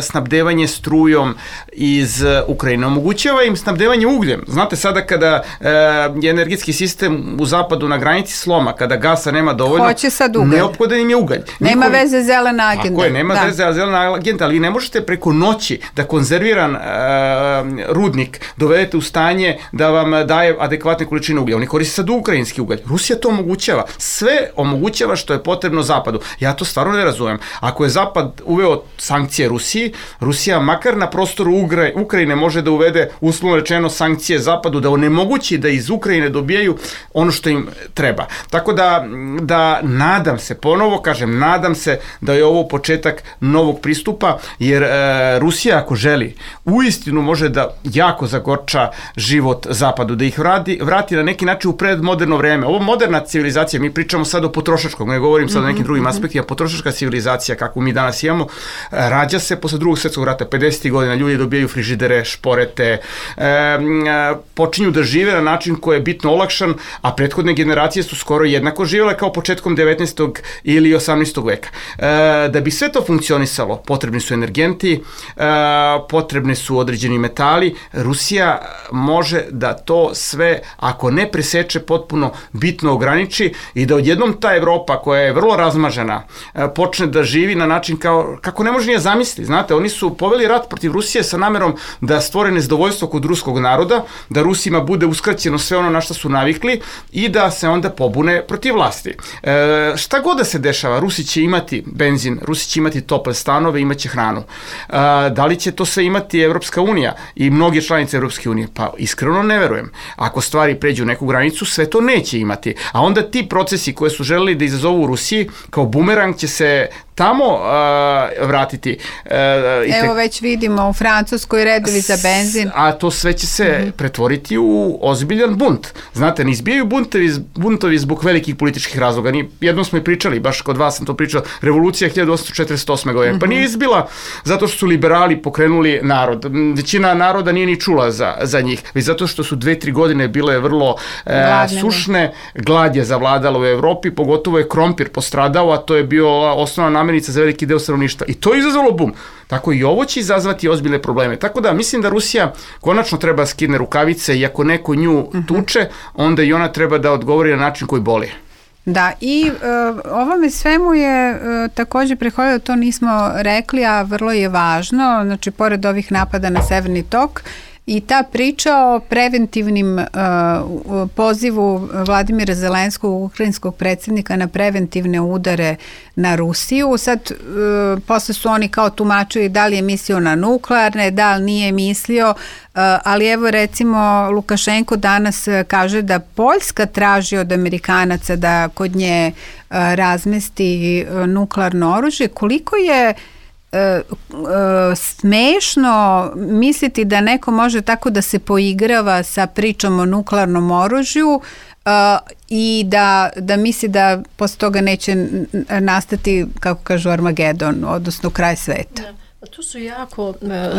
snabdevanje strujom iz Ukrajine, omogućava im snabdevanje ugljem. Znate, sada kada je energetski sistem u zapadu na granici sloma, kada gasa nema dovoljno, neophodan im je ugalj. Nema Niko... veze zelena agenda. Tako je, nema da. veze zelena agenda, ali vi ne možete preko noći da konzerviran uh, rudnik dovedete u stanje da vam daje adekvatne količine uglja. Oni koriste sad ukrajinski ugalj. Rusija to omogućava. Sve omogućava što je potrebno Zapadu. Ja to stvarno ne razumem. Ako je Zapad uveo sankcije Rusiji, Rusija makar na prostoru Ukrajine može da uvede, uslovno rečeno, sankcije Zapadu, da onemogući da iz Ukrajine dobijaju ono što im treba. Tako da, da nadam se, ponovo kažem, nadam se da je ovo početak novog pristupa, jer e, Rusija ako želi, uistinu može da jako zagorča život Zapadu, da ih vrati, vrati na neki način u predmoderno vreme. Ovo moderna civilizacija, mi pričamo sad o potrošačkom, ne govorim sad o nekim drugim aspektima, potrošačka civilizacija kakvu mi danas imamo, rađa se posle drugog svjetskog rata, pedesetih godina, ljudi dobijaju frižidere, šporete, e, počinju da žive na način koji je bitno olakšan, a prethodne generacije su skoro jednako živjele kao početkom devetnaestog ili osamnaestog veka. E, da bi sve to funkcionisalo, potrebni su energenti, e, potrebne su određeni metali. Rusija može da to sve, ako ne preseče, potpuno bitno ograniči i da odjednom ta Evropa koja je vrlo razmažena počne da živi na način kao, kako ne može nije zamisliti. Znate, oni su poveli rat protiv Rusije sa namerom da stvore nezadovoljstvo kod ruskog naroda, da Rusima bude uskraćeno sve ono na što su navikli i da se onda pobune protiv vlasti. E, šta god da se dešava, Rusi će imati benzin, Rusi će imati tople stanove, imaće hranu. E, da li će to sve imati Evropska unija i mnoge članice Evropske unije? Pa iskreno ne verujem. Ako stvari pređu neku granicu, sve to neće imati. A onda ti procesi koje su želeli da izazovu u Rusiji, kao bumerang će se tamo uh, vratiti. Uh, Evo te... već vidimo u Francuskoj redovi za benzin. A to sve će se mm-hmm. pretvoriti u ozbiljan bunt. Znate, ne izbijaju buntovi, buntovi zbog velikih političkih razloga. Ni, jednom smo i pričali, baš kod vas sam to pričao, revolucija hiljadu osamsto četrdeset osme. godine. Mm-hmm. Pa nije izbila zato što su liberali pokrenuli narod. Većina naroda nije ni čula za, za njih. Već zato što su dve, tri godine bile vrlo uh, sušne. Glad je zavladala u Evropi, pogotovo je krompir postradao, a to je bio osnovna namirnica za veliki deo stanovništva. I to je izazvalo bum. Tako i ovo će izazvati ozbiljne probleme. Tako da mislim da Rusija konačno treba skine rukavice i ako neko nju tuče, onda i ona treba da odgovori na način koji boli. Da, i uh, ovome svemu je uh, također prehodilo, to nismo rekli, a vrlo je važno, znači pored ovih napada na Severni tok, i ta priča o preventivnim uh, pozivu Vladimira Zelenskog, ukrajinskog predsjednika, na preventivne udare na Rusiju. Sad, uh, posle su oni kao tumačili da li je mislio na nuklearne, da li nije mislio, uh, ali evo recimo Lukašenko danas kaže da Poljska traži od Amerikanaca da kod nje uh, razmesti uh, nuklearno oružje. Koliko je smešno misliti da neko može tako da se poigrava sa pričom o nuklearnom oružju uh, i da, da misli da posle toga neće nastati, kako kažu, Armagedon, odnosno kraj sveta. Da. To su jako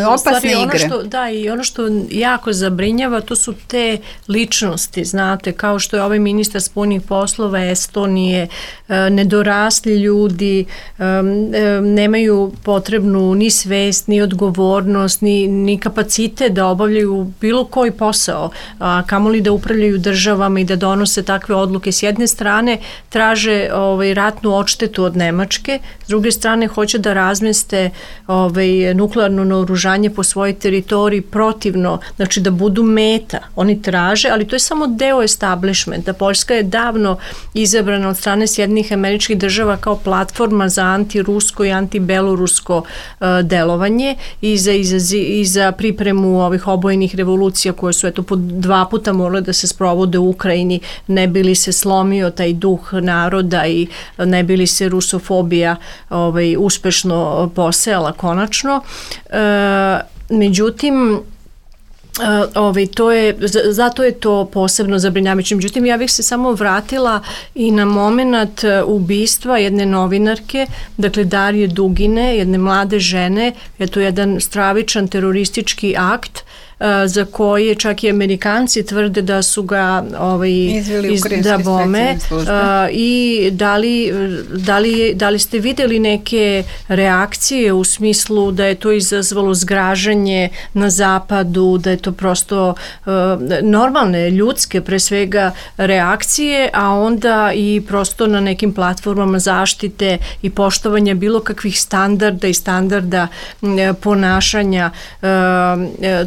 opasne igre. Ono što, da, i ono što jako zabrinjava, to su te ličnosti, znate, kao što je ovaj ministar spoljnih poslova Estonije, nedorasli ljudi, nemaju potrebnu ni svest, ni odgovornost, ni, ni kapacitet da obavljaju bilo koji posao, a kamoli da upravljaju državama i da donose takve odluke. S jedne strane traže ovaj, ratnu odštetu od Nemačke, s druge strane hoće da razmeste ovaj, ovaj, nuklearno naoružanje po svojoj teritoriji protivno, znači da budu meta. Oni traže, ali to je samo deo establishmenta. Poljska je davno izabrana od strane Sjedinjenih Američkih Država kao platforma za antirusko i antibelorusko uh, delovanje i za, i, za, i za pripremu ovih obojenih revolucija koje su eto po dva puta morale da se sprovode u Ukrajini, ne bi li se slomio taj duh naroda i ne bi li se rusofobija ovaj, uspešno posejala konačno. E, međutim, Uh, ovaj, to je, zato je to posebno zabrinjavajuće. Međutim, ja bih se samo vratila i na moment ubistva jedne novinarke, dakle Darije Dugine, jedne mlade žene. Je to jedan stravičan teroristički akt za koje čak i Amerikanci tvrde da su ga ovaj, izveli iz, da bome a, i da li, da, li, da li ste vidjeli neke reakcije u smislu da je to izazvalo zgražanje na zapadu, da je to prosto a, normalne, ljudske pre svega reakcije, a onda i prosto na nekim platformama zaštite i poštovanja bilo kakvih standarda i standarda a, ponašanja. A,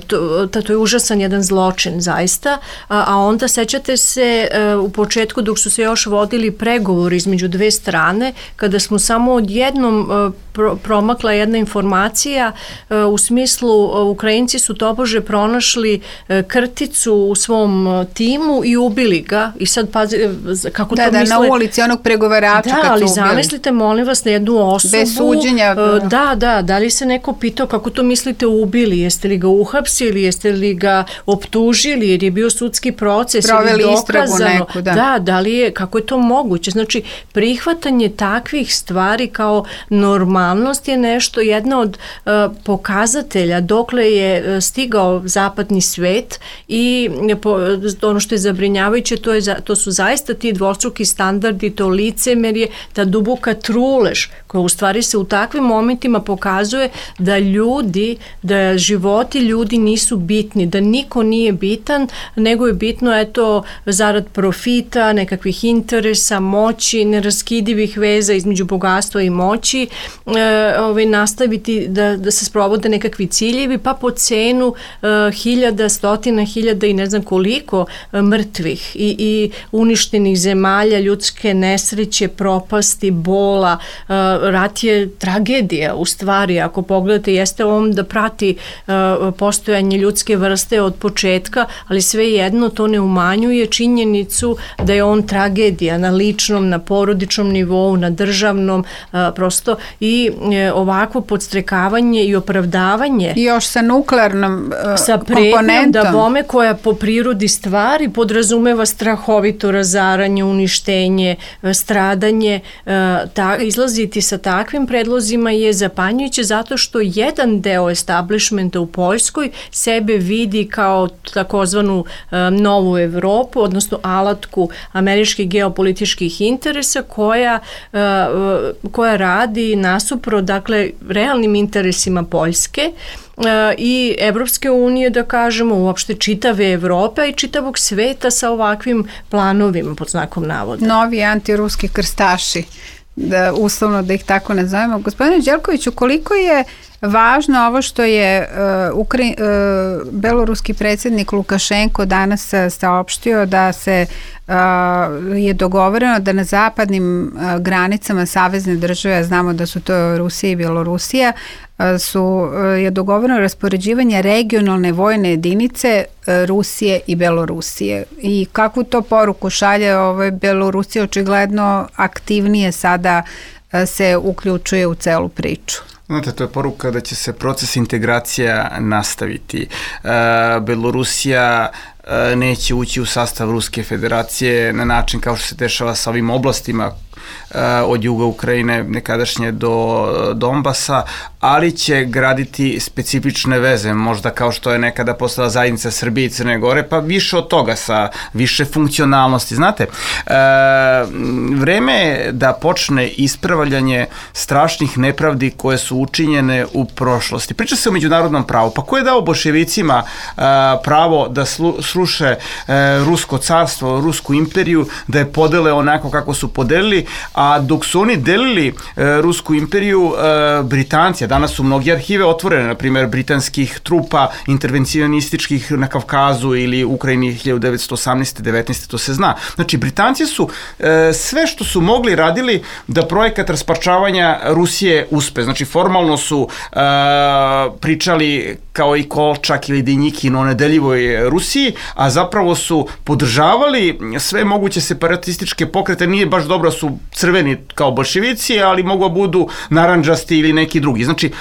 to, to je užasan jedan zločin zaista, a, a onda sećate se u početku dok su se još vodili pregovori između dve strane, kada smo samo odjednom pro, promakla jedna informacija u smislu Ukrajinci su tobože pronašli krticu u svom timu i ubili ga i sad pazi kako da, to da, misle. Da, na ulici onog pregovarača da, kad su ali ubili. Zamislite molim vas na jednu osobu. Bez suđenja. Da, da, da li se neko pitao kako to mislite ubili, jeste li ga uhapsili, jeste li ga optužili jer je bio sudski proces proveli ili istragu neku, da. Da, da li je, kako je to moguće? Znači, prihvatanje takvih stvari kao normalnost je nešto, jedna od uh, pokazatelja dokle je uh, stigao zapadni svet i po, ono što je zabrinjavajuće, to, je, to su zaista ti dvostruki standardi, to licemerje, ta duboka trulež koja u stvari se u takvim momentima pokazuje da ljudi, da životi ljudi nisu bitni, da niko nije bitan, nego je bitno eto zarad profita, nekakvih interesa, moći, neraskidivih veza između bogatstva i moći, e, ovaj, nastaviti da, da se sprovode nekakvi ciljevi, pa po cenu e, hiljada, stotina hiljada i ne znam koliko e, mrtvih i, i uništenih zemalja, ljudske nesreće, propasti, bola. E, rat je tragedija u stvari, ako pogledate, jeste on da prati e, postojanje ljudske vrste od početka, ali svejedno to ne umanjuje činjenicu da je on tragedija na ličnom, na porodičnom nivou, na državnom, a, prosto i e, ovakvo podstrekavanje i opravdavanje. I još sa nuklearnom a, sa komponentom. Da bome koja po prirodi stvari podrazumeva strahovito razaranje, uništenje, stradanje. A, ta, izlaziti sa takvim predlozima je zapanjujuće zato što jedan deo establishmenta u Poljskoj sebe vidi kao takozvanu um, novu Evropu, odnosno alatku američkih geopolitičkih interesa koja, uh, koja radi nasupro, dakle, realnim interesima Poljske uh, i Evropske unije, da kažemo, uopšte čitave Evrope i čitavog sveta sa ovakvim planovima, pod znakom navoda. Novi antiruski krstaši, da, uslovno da ih tako nazovemo. Gospodine Đelkoviću, koliko je važno ovo što je uh, Ukra- uh, beloruski predsjednik Lukašenko danas uh, saopštio da se uh, je dogovoreno da na zapadnim uh, granicama savezne države, znamo da su to Rusija i Bjelorusija, uh, su, uh, je dogovoreno raspoređivanje regionalne vojne jedinice uh, Rusije i Bjelorusije. I kakvu to poruku šalje, ovaj, Bjelorusija očigledno aktivnije sada uh, se uključuje u celu priču. Znate, to je poruka da će se proces integracija nastaviti. E, Belorusija e, neće ući u sastav Ruske federacije na način kao što se dešava sa ovim oblastima od juga Ukrajine nekadašnje do Donbasa, ali će graditi specifične veze, možda kao što je nekada postala zajednica Srbije i Crne Gore, pa više od toga, sa više funkcionalnosti. Znate, e, vreme je da počne ispravljanje strašnih nepravdi koje su učinjene u prošlosti. Priča se o međunarodnom pravu. Pa ko je dao boljševicima e, pravo da slu, sruše e, Rusko carstvo, Rusku imperiju, da je podele onako kako su podelili, A dok su oni delili e, Rusku imperiju, e, Britanci, a danas su mnogi arhive otvorene, na primjer britanskih trupa intervencionističkih na Kavkazu ili Ukrajini hiljadu devetsto osamnaeste devetnaeste to se zna. Znači, Britanci su e, sve što su mogli radili da projekat rasparčavanja Rusije uspe. Znači, formalno su e, pričali kao i Kolčak ili Denjikin o nedeljivoj Rusiji, a zapravo su podržavali sve moguće separatističke pokrete. Nije baš dobro su crveni kao bolševici, ali mogu budu narandžasti ili neki drugi. Znači,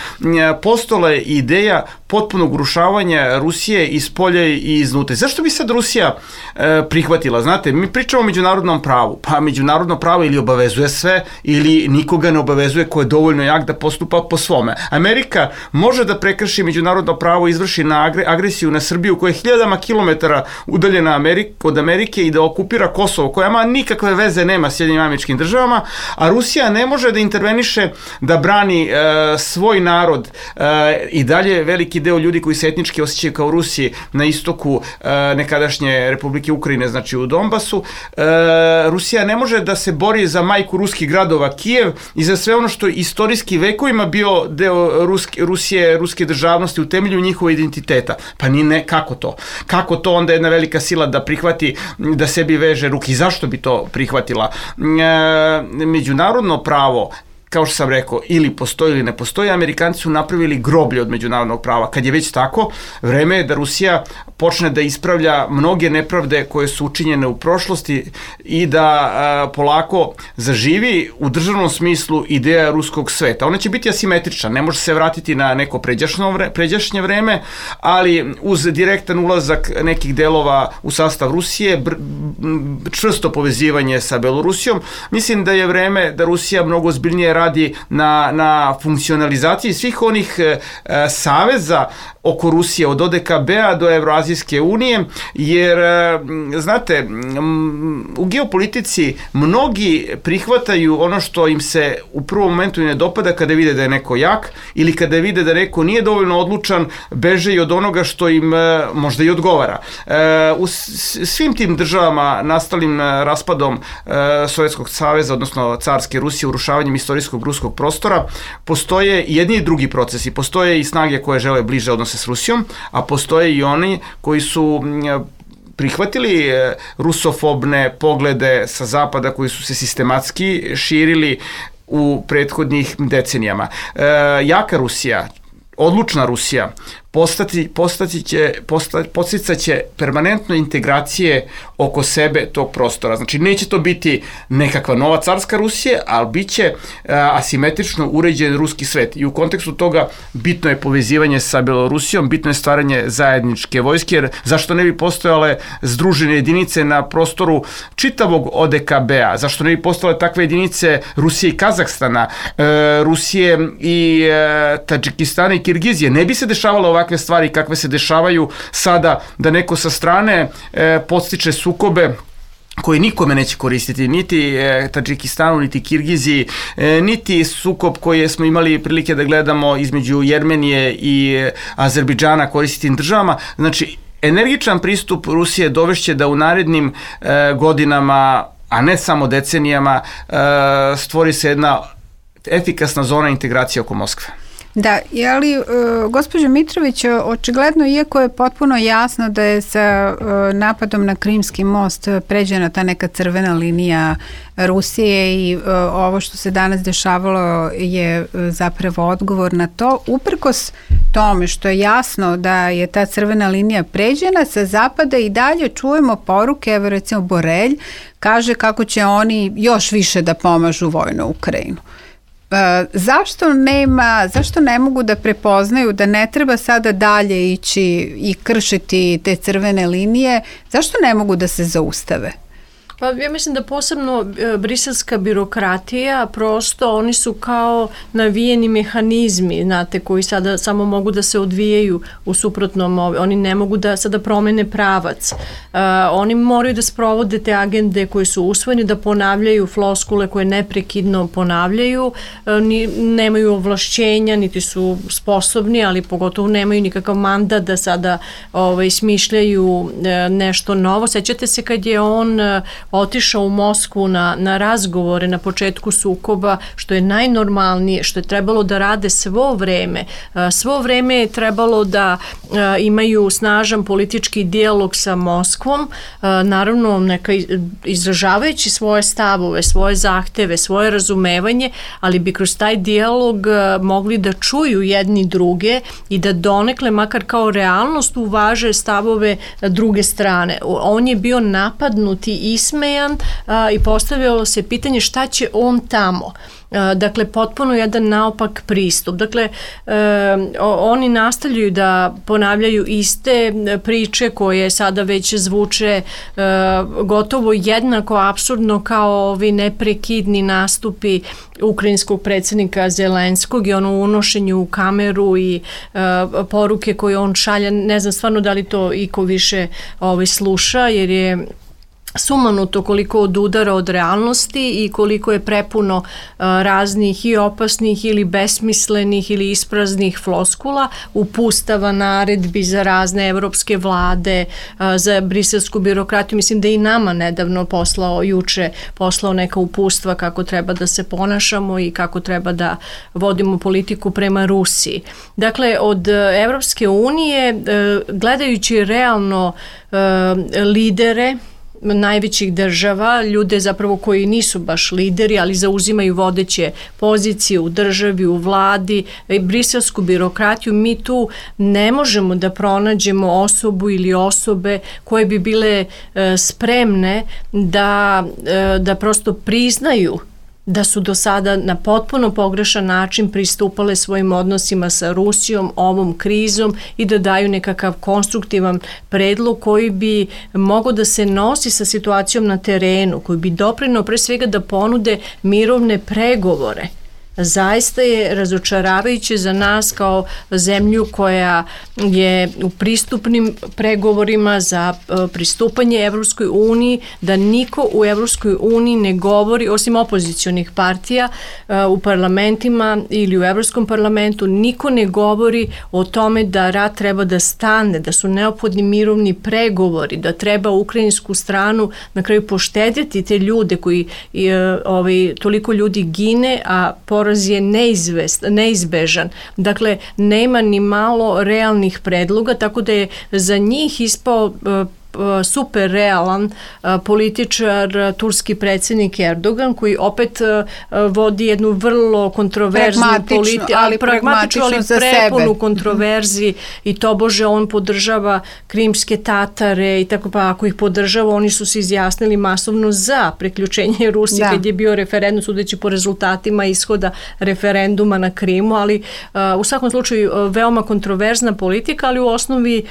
postojala je ideja potpunog urušavanja Rusije iz polja i iznutra. Zašto bi sad Rusija e, prihvatila? Znate, mi pričamo o međunarodnom pravu, pa međunarodno pravo ili obavezuje sve, ili nikoga ne obavezuje ko je dovoljno jak da postupa po svome. Amerika može da prekrši međunarodno pravo, izvrši na agresiju na Srbiju koja je hiljadama kilometara udaljena Amerik, od Amerike i da okupira Kosovo, koja ima nikakve veze nema s Sjedinjenim Američkim Državama, a Rusija ne može da interveniše da brani e, svoj narod e, i dalje veliki deo ljudi koji se etnički osjećaju kao Rusi na istoku e, nekadašnje Republike Ukrajine, znači u Donbasu. E, Rusija ne može da se bori za majku ruskih gradova Kijev i za sve ono što je istorijski vekovima bio deo Ruske, Rusije, ruske državnosti u temelju njihova identiteta. Pa ni ne, kako to? Kako to onda jedna velika sila da prihvati, da sebi veže ruke? I zašto bi to prihvatila? E, međunarodno pravo, kao što sam rekao, ili postoji ili ne postoji, Amerikanci su napravili groblje od međunarodnog prava. Kad je već tako, vreme je da Rusija počne da ispravlja mnoge nepravde koje su učinjene u prošlosti i da a, polako zaživi u državnom smislu ideja ruskog sveta. Ona će biti asimetrična, ne može se vratiti na neko pređašnje, pređašnje vreme, ali uz direktan ulazak nekih delova u sastav Rusije, br, čvrsto povezivanje sa Belorusijom, mislim da je vreme da Rusija mnogo ozbiljnije radi na, na funkcionalizaciji svih onih e, saveza oko Rusije, od O D K B-a do Evroazijske unije, jer, e, znate, m, u geopolitici mnogi prihvataju ono što im se u prvom momentu ne dopada kada vide da je neko jak ili kada vide da neko nije dovoljno odlučan, beže i od onoga što im e, možda i odgovara. E, u svim tim državama nastalim raspadom e, Sovjetskog saveza, odnosno carske Rusije, urušavanjem istorijskog ruskog prostora, postoje jedni i drugi procesi. Postoje i snage koje žele bliže odnose s Rusijom, a postoje i oni koji su prihvatili rusofobne poglede sa zapada koji su se sistematski širili u prethodnih decenijama. E, jaka Rusija, odlučna Rusija, postati, postati će, postati, posticat će permanentno integracije oko sebe tog prostora. Znači, neće to biti nekakva nova carska Rusija, ali bit će a, asimetrično uređen ruski svet. I u kontekstu toga bitno je povezivanje sa Belorusijom, bitno je stvaranje zajedničke vojske, jer zašto ne bi postojale združene jedinice na prostoru čitavog O D K B-a? Zašto ne bi postojale takve jedinice Rusije i Kazahstana, e, Rusije i e, Tadžikistana i Kirgizije? Ne bi se dešavalo ovakve stvari kakve se dešavaju sada, da neko sa strane e, podstiče sukobe koji nikome neće koristiti, niti e, Tadžikistanu, niti Kirgiziji, e, niti sukob koji smo imali prilike da gledamo između Jermenije i e, Azerbejdžana koristim državama. Znači, energičan pristup Rusije dovešće da u narednim e, godinama, a ne samo decenijama, e, stvori se jedna efikasna zona integracije oko Moskve. Da, ali e, gospođo Mitrović, očigledno, iako je potpuno jasno da je sa e, napadom na Krimski most pređena ta neka crvena linija Rusije i e, ovo što se danas dešavalo je zapravo odgovor na to, uprkos tome što je jasno da je ta crvena linija pređena, sa zapada i dalje čujemo poruke, evo recimo Borelj kaže kako će oni još više da pomažu vojno Ukrajinu. E, zašto nema, zašto ne mogu da prepoznaju da ne treba sada dalje ići i kršiti te crvene linije, zašto ne mogu da se zaustave? Pa ja mislim da posebno e, briselska birokratija, prosto oni su kao navijeni mehanizmi, znate, koji sada samo mogu da se odvijaju u suprotnom, oni ne mogu da sada promene pravac. E, oni moraju da sprovode te agende koje su usvojene, da ponavljaju floskule koje neprekidno ponavljaju, e, ni, nemaju ovlašćenja, niti su sposobni, ali pogotovo nemaju nikakav mandat da sada ovaj, smišljaju e, nešto novo. Sećate se kad je on otišao u Moskvu na, na razgovore na početku sukoba, što je najnormalnije, što je trebalo da rade svo vreme. Svo vreme je trebalo da imaju snažan politički dijalog sa Moskvom, naravno neka izražavajući svoje stavove, svoje zahteve, svoje razumevanje, ali bi kroz taj dijalog mogli da čuju jedni druge i da donekle, makar kao realnost, uvaže stavove druge strane. On je bio napadnut i ismejan a, i postavljalo se pitanje šta će on tamo. Dakle, potpuno jedan naopak pristup. Dakle, e, oni nastavljaju da ponavljaju iste priče koje sada već zvuče e, gotovo jednako apsurdno kao ovi neprekidni nastupi ukrajinskog predsjednika Zelenskog i ono unošenju u kameru i e, poruke koje on šalja. Ne znam stvarno da li to iko više ovaj, sluša, jer je sumanuto koliko odudara od realnosti i koliko je prepuno uh, raznih i opasnih ili besmislenih ili ispraznih floskula, upustava, naredbi za razne evropske vlade, uh, za briselsku birokratiju. Mislim da i nama nedavno poslao, juče poslao neka upustva kako treba da se ponašamo i kako treba da vodimo politiku prema Rusiji. Dakle, od Evropske unije, uh, gledajući realno uh, lidere najvećih država, ljude zapravo koji nisu baš lideri, ali zauzimaju vodeće pozicije u državi, u vladi, briselsku birokratiju, mi tu ne možemo da pronađemo osobu ili osobe koje bi bile e, spremne da, e, da prosto priznaju da su do sada na potpuno pogrešan način pristupale svojim odnosima sa Rusijom, ovom krizom i da daju nekakav konstruktivan predlog koji bi mogao da se nosi sa situacijom na terenu, koji bi doprineo pre svega da ponude mirovne pregovore. Zaista je razočaravajuće za nas kao zemlju koja je u pristupnim pregovorima za pristupanje Evropskoj uniji, da niko u Evropskoj uniji ne govori, osim opozicionih partija u parlamentima ili u Evropskom parlamentu, niko ne govori o tome da rat treba da stane, da su neophodni mirovni pregovori, da treba ukrajinsku stranu na kraju poštedjeti te ljude koji ovaj, toliko ljudi gine, a poraz je neizvest, neizbežan. Dakle, nema ni malo realnih predloga, tako da je za njih ispao super realan političar turski predsjednik Erdogan, koji opet vodi jednu vrlo kontroverznu politiku, ali pragmatičnu, ali prepunu kontroverzi i tobože on podržava krimske Tatare i tako, pa ako ih podržava, oni su se izjasnili masovno za priključenje Rusije da. Kad je bio referendum, sudeći po rezultatima ishoda referenduma na Krimu, ali u svakom slučaju veoma kontroverzna politika, ali u osnovi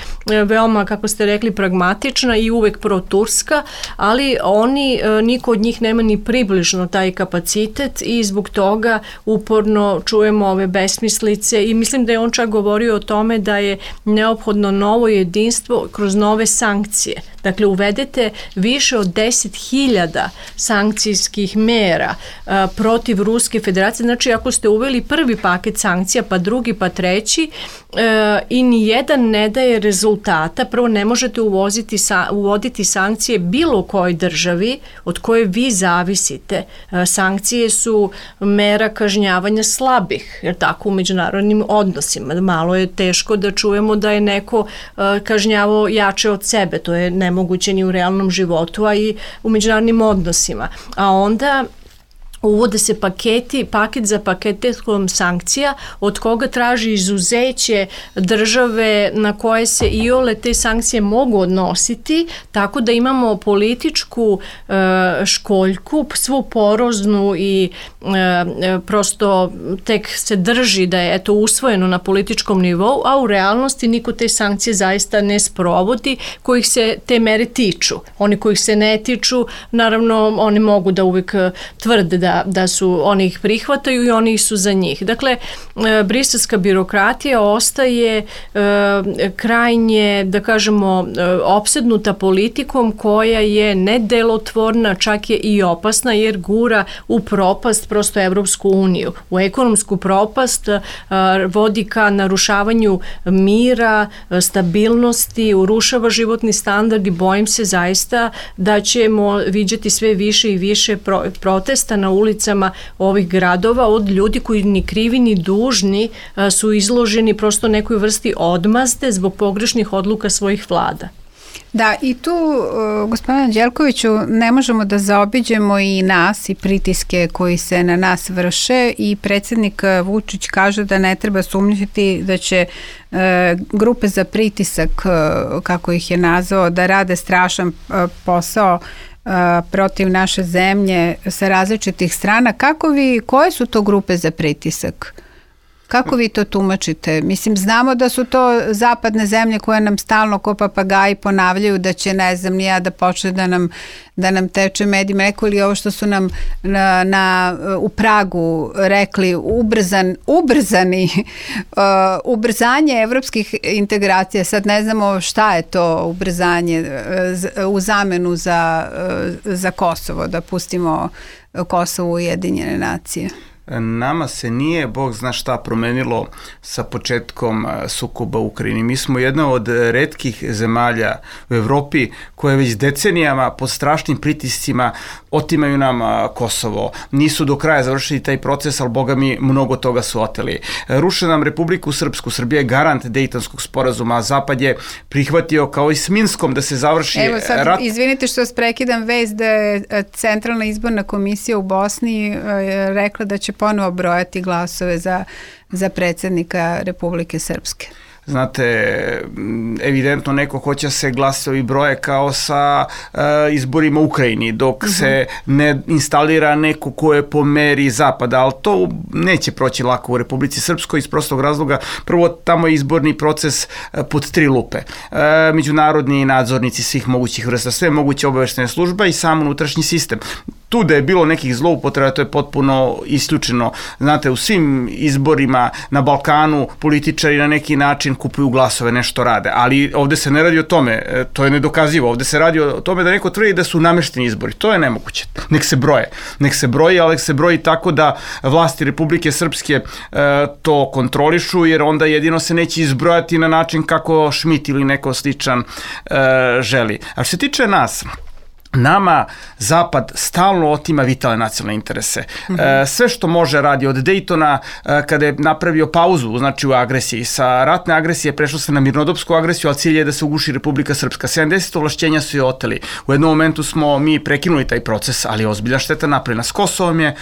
veoma, kako ste rekli, pragmatična i uvek pro-turska, ali oni, niko od njih nema ni približno taj kapacitet i zbog toga uporno čujemo ove besmislice i mislim da je on čak govorio o tome da je neophodno novo jedinstvo kroz nove sankcije. Dakle, uvedete više od deset hiljada sankcijskih mera a, protiv Ruske federacije. Znači, ako ste uveli prvi paket sankcija, pa drugi, pa treći a, i nijedan ne daje rezultata, prvo ne možete uvoziti, sa, uvoditi sankcije bilo kojoj državi od koje vi zavisite. A, sankcije su mera kažnjavanja slabih, jer tako u međunarodnim odnosima. Malo je teško da čujemo da je neko a, kažnjavao jače od sebe. To je nemoguće moguće u realnom životu, a i u međunarodnim odnosima. A onda uvode se paketi, paket za paketom sankcija od koga traži izuzeće države na koje se iole te sankcije mogu odnositi, tako da imamo političku e, školjku, svu poroznu i e, prosto tek se drži da je eto usvojeno na političkom nivou, a u realnosti niko te sankcije zaista ne sprovodi kojih se te mere tiču. Oni kojih se ne tiču, naravno oni mogu da uvek tvrde da da, da su, oni ih prihvataju i oni su za njih. Dakle, briselska birokratija ostaje krajnje, da kažemo, opsednuta politikom koja je nedelotvorna, čak je i opasna jer gura u propast prosto Evropsku uniju. U ekonomsku propast vodi ka narušavanju mira, stabilnosti, urušava životni standard i bojim se zaista da ćemo viđati sve više i više protesta na ulicama ovih gradova od ljudi koji ni krivi ni dužni su izloženi prosto nekoj vrsti odmazde zbog pogrešnih odluka svojih vlada. Da, i tu, gospodine Anđelkoviću, ne možemo da zaobiđemo i nas i pritiske koji se na nas vrše i predsjednik Vučić kaže da ne treba sumnjati da će e, grupe za pritisak, kako ih je nazvao, da rade strašan posao e, protiv naše zemlje sa različitih strana. Kako vi, koje su to grupe za pritisak? Kako vi to tumačite? Mislim, znamo da su to zapadne zemlje koje nam stalno ko papagaji ponavljaju da će, ne znam, nija da počne da nam, da nam teče med i mleko, ili ovo što su nam na, na, u Pragu rekli, ubrzan, ubrzani, uh, ubrzanje evropskih integracija. Sad ne znamo šta je to ubrzanje uh, u zamenu za, uh, za Kosovo, da pustimo Kosovo u Ujedinjene nacije. Nama se nije, Bog zna šta, promenilo sa početkom sukoba u Ukrajini. Mi smo jedna od retkih zemalja u Evropi koje već decenijama pod strašnim pritiscima otimaju nam Kosovo. Nisu do kraja završili taj proces, ali Boga mi mnogo toga su oteli. Ruše nam Republiku Srpsku. Srbija je garant Dejtonskog sporazuma, a Zapad je prihvatio kao i s Minskom da se završi rat. Evo sad, rat. Izvinite što vas prekidam, vez da je Centralna izborna komisija u Bosni rekla da će ponovo brojati glasove za, za predsjednika Republike Srpske. Znate, evidentno neko hoće se glasovi broje kao sa uh, izborima u Ukrajini, dok uh-huh. se ne instalira neko ko je po meri Zapada, ali to neće proći lako u Republici Srpskoj iz prostog razloga. Prvo, tamo je izborni proces uh, pod tri lupe. Uh, međunarodni nadzornici svih mogućih vrsta, sve moguće obaveštene služba i sam unutrašnji sistem. Tu da je bilo nekih zloupotreba, to je potpuno isključeno. Znate, u svim izborima na Balkanu političari na neki način kupuju glasove, nešto rade, ali ovde se ne radi o tome, to je nedokazivo, ovde se radi o tome da neko tvrdi da su namešteni izbori, to je nemoguće, nek se broje, nek se broji, ali nek se broji tako da vlasti Republike Srpske e, to kontrolišu, jer onda jedino se neće izbrojati na način kako Šmit ili neko sličan e, želi. A što se tiče nas, nama Zapad stalno otima vitalne nacionalne interese. Mm-hmm. E, sve što može radi od Dejtona, e, kada je napravio pauzu, znači u agresiji, sa ratne agresije prešlo se na mirnodopsku agresiju, ali cilj je da se uguši Republika Srpska. sedamdeset ovlašćenja su je oteli. U jednom momentu smo mi prekinuli taj proces, ali ozbiljna šteta napravljena. S Kosovom je e,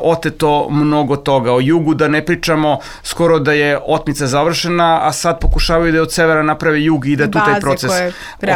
oteto mnogo toga. O jugu da ne pričamo, skoro da je otmica završena, a sad pokušavaju da je od severa naprave jug i da tu taj proces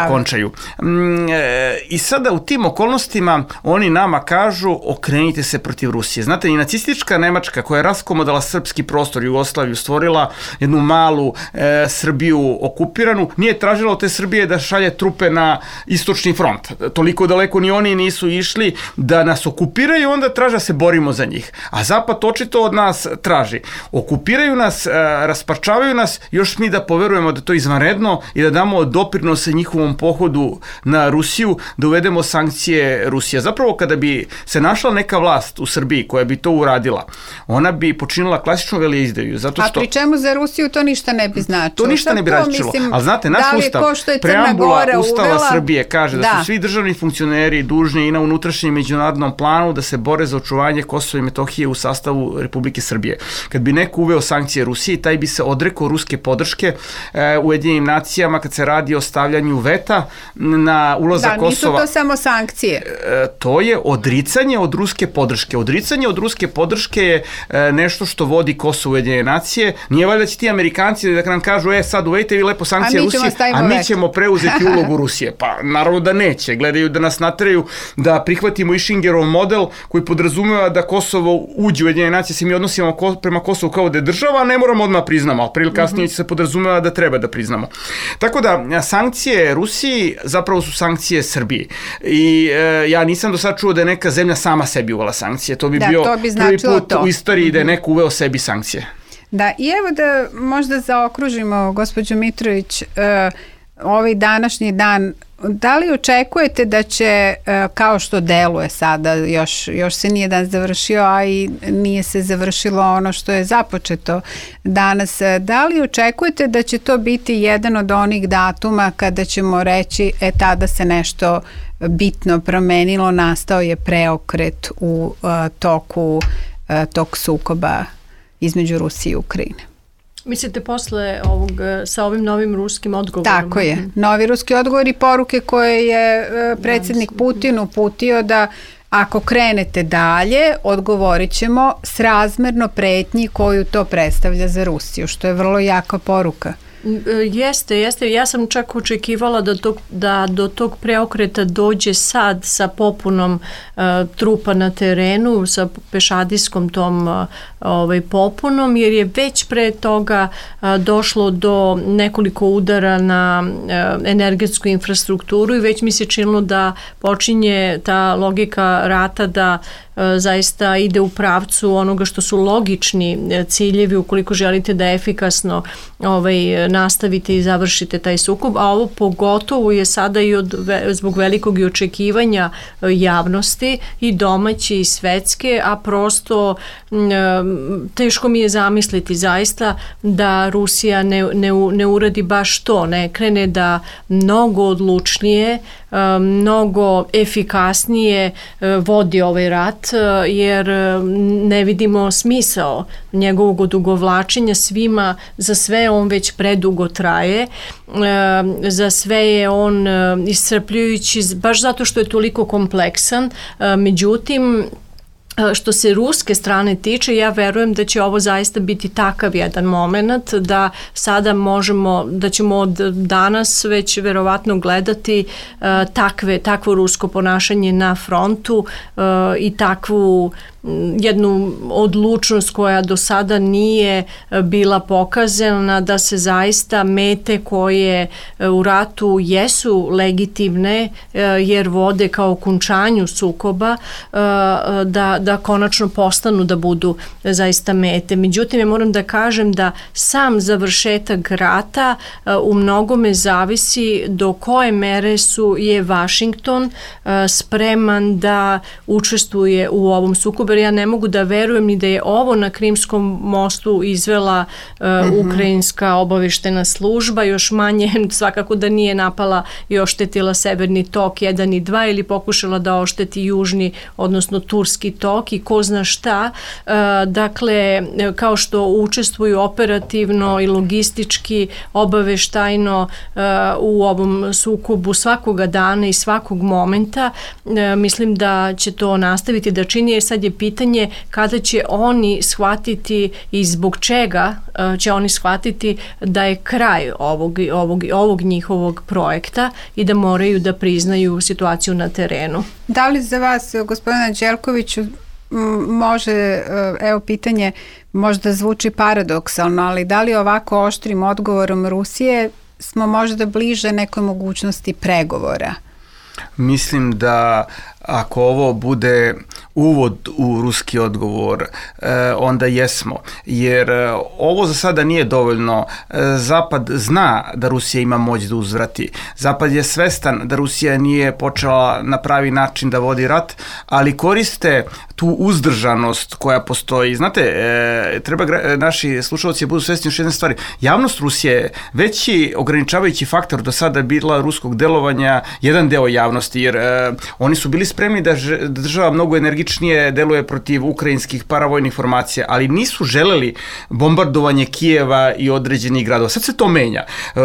okončaju. Mm, e, I sada u tim okolnostima oni nama kažu okrenite se protiv Rusije. Znate, i nacistička Nemačka koja je raskomodala srpski prostor, Jugoslaviju, stvorila jednu malu e, Srbiju okupiranu, nije tražila od te Srbije da šalje trupe na istočni front. Toliko daleko ni oni nisu išli da nas okupiraju, onda traže da se borimo za njih. A Zapad očito od nas traži. Okupiraju nas, e, rasparčavaju nas, još mi da poverujemo da to je izvanredno i da damo doprinose njihovom pohodu na Rusiju, da uvedemo sankcije Rusije. Zapravo kada bi se našla neka vlast u Srbiji koja bi to uradila, ona bi počinila klasičnu veleizdaju. Zato što... A pri čemu za Rusiju to ništa ne bi značilo? To ništa ne bi značilo. Ali znate, naš da ustav, preambula Ustava uvela... Srbije kaže da, da su svi državni funkcioneri dužni i na unutrašnjem međunarodnom planu da se bore za očuvanje Kosova i Metohije u sastavu Republike Srbije. Kad bi neko uveo sankcije Rusiji, taj bi se odrekao ruske podrške e, Ujedinjenim nacijama kad se radi o stavljanju veta na ulazak da, Kosova. To samo sankcije. E, to je odricanje od ruske podrške. Odricanje od ruske podrške je e, nešto što vodi Kosovo Ujedinjene nacije. Nije valjda će ti Amerikanci da nam kažu, e sad uvedite vi lepo sankcije Rusije, a mi ćemo preuzeti ulogu Rusije. Pa naravno da neće. Gledaju da nas nateraju da prihvatimo i Schingerov model koji podrazumeva da Kosovo uđe u Ujedinjene nacije, se mi odnosimo ko, prema Kosovu kao da je država, a ne moramo odmah priznamo, ali prije ili kasnije mm-hmm. se podrazumeva da treba da priznamo. Tako da sankcije Rusiji zapravo su sankcije Srbije. Srbiji. I e, ja nisam do sad čuo da je neka zemlja sama sebi uvela sankcije. To bi da, bio to bi prvi put to. u istoriji da je neko uveo sebi sankcije. Da, i evo da možda zaokružimo, gospođo Mitrović, uh, ovaj današnji dan. Da li očekujete da će, kao što deluje sada, još, još se nije dan završio, a i nije se završilo ono što je započeto danas, da li očekujete da će to biti jedan od onih datuma kada ćemo reći, e tada se nešto bitno promenilo, nastao je preokret u uh, toku uh, tog sukoba između Rusije i Ukrajine? Mislite posle ovog, sa ovim novim ruskim odgovorom? Tako je. Novi ruski odgovor i poruke koje je predsjednik Putin uputio da ako krenete dalje, odgovorit ćemo srazmerno pretnji koju to predstavlja za Rusiju, što je vrlo jaka poruka. Jeste, jeste. Ja sam čak očekivala da, to, da do tog preokreta dođe sad sa popunom uh, trupa na terenu, sa pešadijskom tom uh, ovaj, popunom, jer je već pre toga uh, došlo do nekoliko udara na uh, energetsku infrastrukturu i već mi se činilo da počinje ta logika rata da zaista ide u pravcu onoga što su logični ciljevi ukoliko želite da efikasno ovaj, nastavite i završite taj sukob, a ovo pogotovo je sada i od, zbog velikog i očekivanja javnosti i domaće i svetske, a prosto teško mi je zamisliti zaista da Rusija ne, ne, ne uradi baš to, ne krene da mnogo odlučnije, mnogo efikasnije vodi ovaj rat, jer ne vidimo smisao njegovog odugovlačenja. Svima, za sve on već predugo traje, za sve je on iscrpljujući baš zato što je toliko kompleksan, međutim što se ruske strane tiče, ja verujem da će ovo zaista biti takav jedan moment da sada možemo, da ćemo od danas već verovatno gledati uh, takve, takvo rusko ponašanje na frontu uh, i takvu jednu odlučnost koja do sada nije bila pokazana, da se zaista mete koje u ratu jesu legitimne jer vode kao okončanju sukoba, da, da konačno postanu da budu zaista mete. Međutim, ja moram da kažem da sam završetak rata u mnogome zavisi do koje mere su je Washington spreman da učestvuje u ovom sukobu. Ja ne mogu da verujem ni da je ovo na Krimskom mostu izvela uh, uh-huh. ukrajinska obaveštena služba, još manje svakako da nije napala i oštetila Severni tok jedan i dva ili pokušala da ošteti Južni, odnosno Turski tok i ko zna šta. Uh, dakle, kao što učestvuju operativno i logistički, obaveštajno uh, u ovom sukobu svakoga dana i svakog momenta, uh, mislim da će to nastaviti da čini, jer sad je pitanje kada će oni shvatiti i zbog čega uh, će oni shvatiti da je kraj ovog, ovog, ovog njihovog projekta i da moraju da priznaju situaciju na terenu. Da li za vas, gospodina Đelkoviću, može, evo pitanje, možda zvuči paradoksalno, ali da li ovako oštrim odgovorom Rusije smo možda bliže nekoj mogućnosti pregovora? Mislim da ako ovo bude uvod u ruski odgovor, onda jesmo. Jer ovo za sada nije dovoljno. Zapad zna da Rusija ima moć da uzvrati. Zapad je svestan da Rusija nije počela na pravi način da vodi rat, ali koriste tu uzdržanost koja postoji. Znate, treba naši slušalci budu svesni još jedne stvari. Javnost Rusije je veći ograničavajući faktor do sada bila ruskog delovanja, jedan deo javnosti, jer oni su bili spremni da država mnogo energičnije deluje protiv ukrajinskih paravojnih formacija, ali nisu želeli bombardovanje Kijeva i određenih gradova. Sad se to menja. E,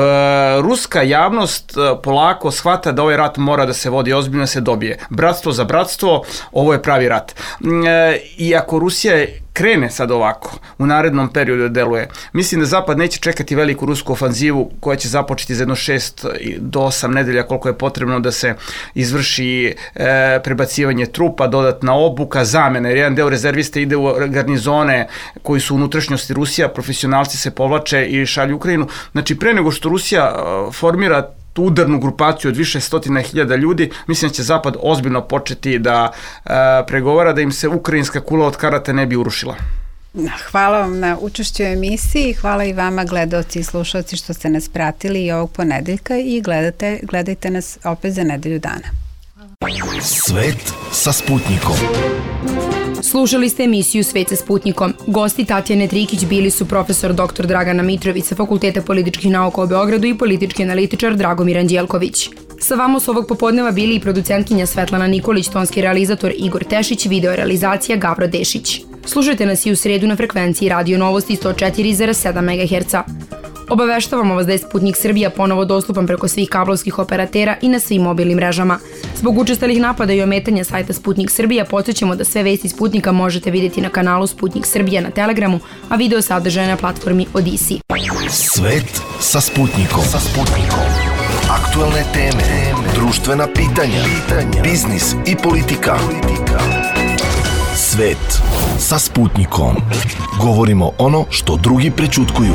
ruska javnost polako shvata da ovaj rat mora da se vodi ozbiljno, se dobije. Bratstvo za bratstvo, ovo je pravi rat. E, I ako Rusija krene sad ovako, u narednom periodu deluje, mislim da Zapad neće čekati veliku rusku ofanzivu koja će započeti za jedno šest do osam nedelja koliko je potrebno da se izvrši e, prebacivanje trupa, dodatna obuka, zamena, jer jedan deo rezervista ide u garnizone koji su u unutrašnjosti Rusija, profesionalci se povlače i šalju Ukrajinu. Znači, pre nego što Rusija formira tu udarnu grupaciju od više stotina hiljada ljudi, mislim da će Zapad ozbiljno početi da e, pregovara da im se ukrajinska kula od karata ne bi urušila. Hvala vam na učešću u emisiji, hvala i vama gledaoci i slušalci što ste nas pratili i ovog ponedeljka i gledate, gledajte nas opet za nedelju dana. Svet sa Sputnikom. Slušali ste emisiju Svet sa Sputnikom. Gosti Tatjane Trikić bili su profesor doktor Dragana Mitrović sa Fakulteta političkih nauka u Beogradu i politički analitičar Dragomir Anđelković. Sa vama su ovog popodneva bili i producentkinja Svetlana Nikolić, tonski realizator Igor Tešić, video realizacija Gavro Dešić. Slušajte nas i u sredu na frekvenciji Radio Novosti sto četiri zarez sedam megaherca. Obaveštavamo vas da je Sputnik Srbija ponovo dostupan preko svih kablovskih operatera i na svim mobilnim mrežama. Zbog učestalih napada i ometanja sajta Sputnik Srbija podsjećamo da sve vesti Sputnika možete vidjeti na kanalu Sputnik Srbija na Telegramu, a video sadržaje na platformi Odisi. Svet sa Sputnikom. Sa Sputnikom. Aktualne teme, društvena pitanja, biznis i politika. Svet sa Sputnikom. Govorimo ono što drugi prećutkuju.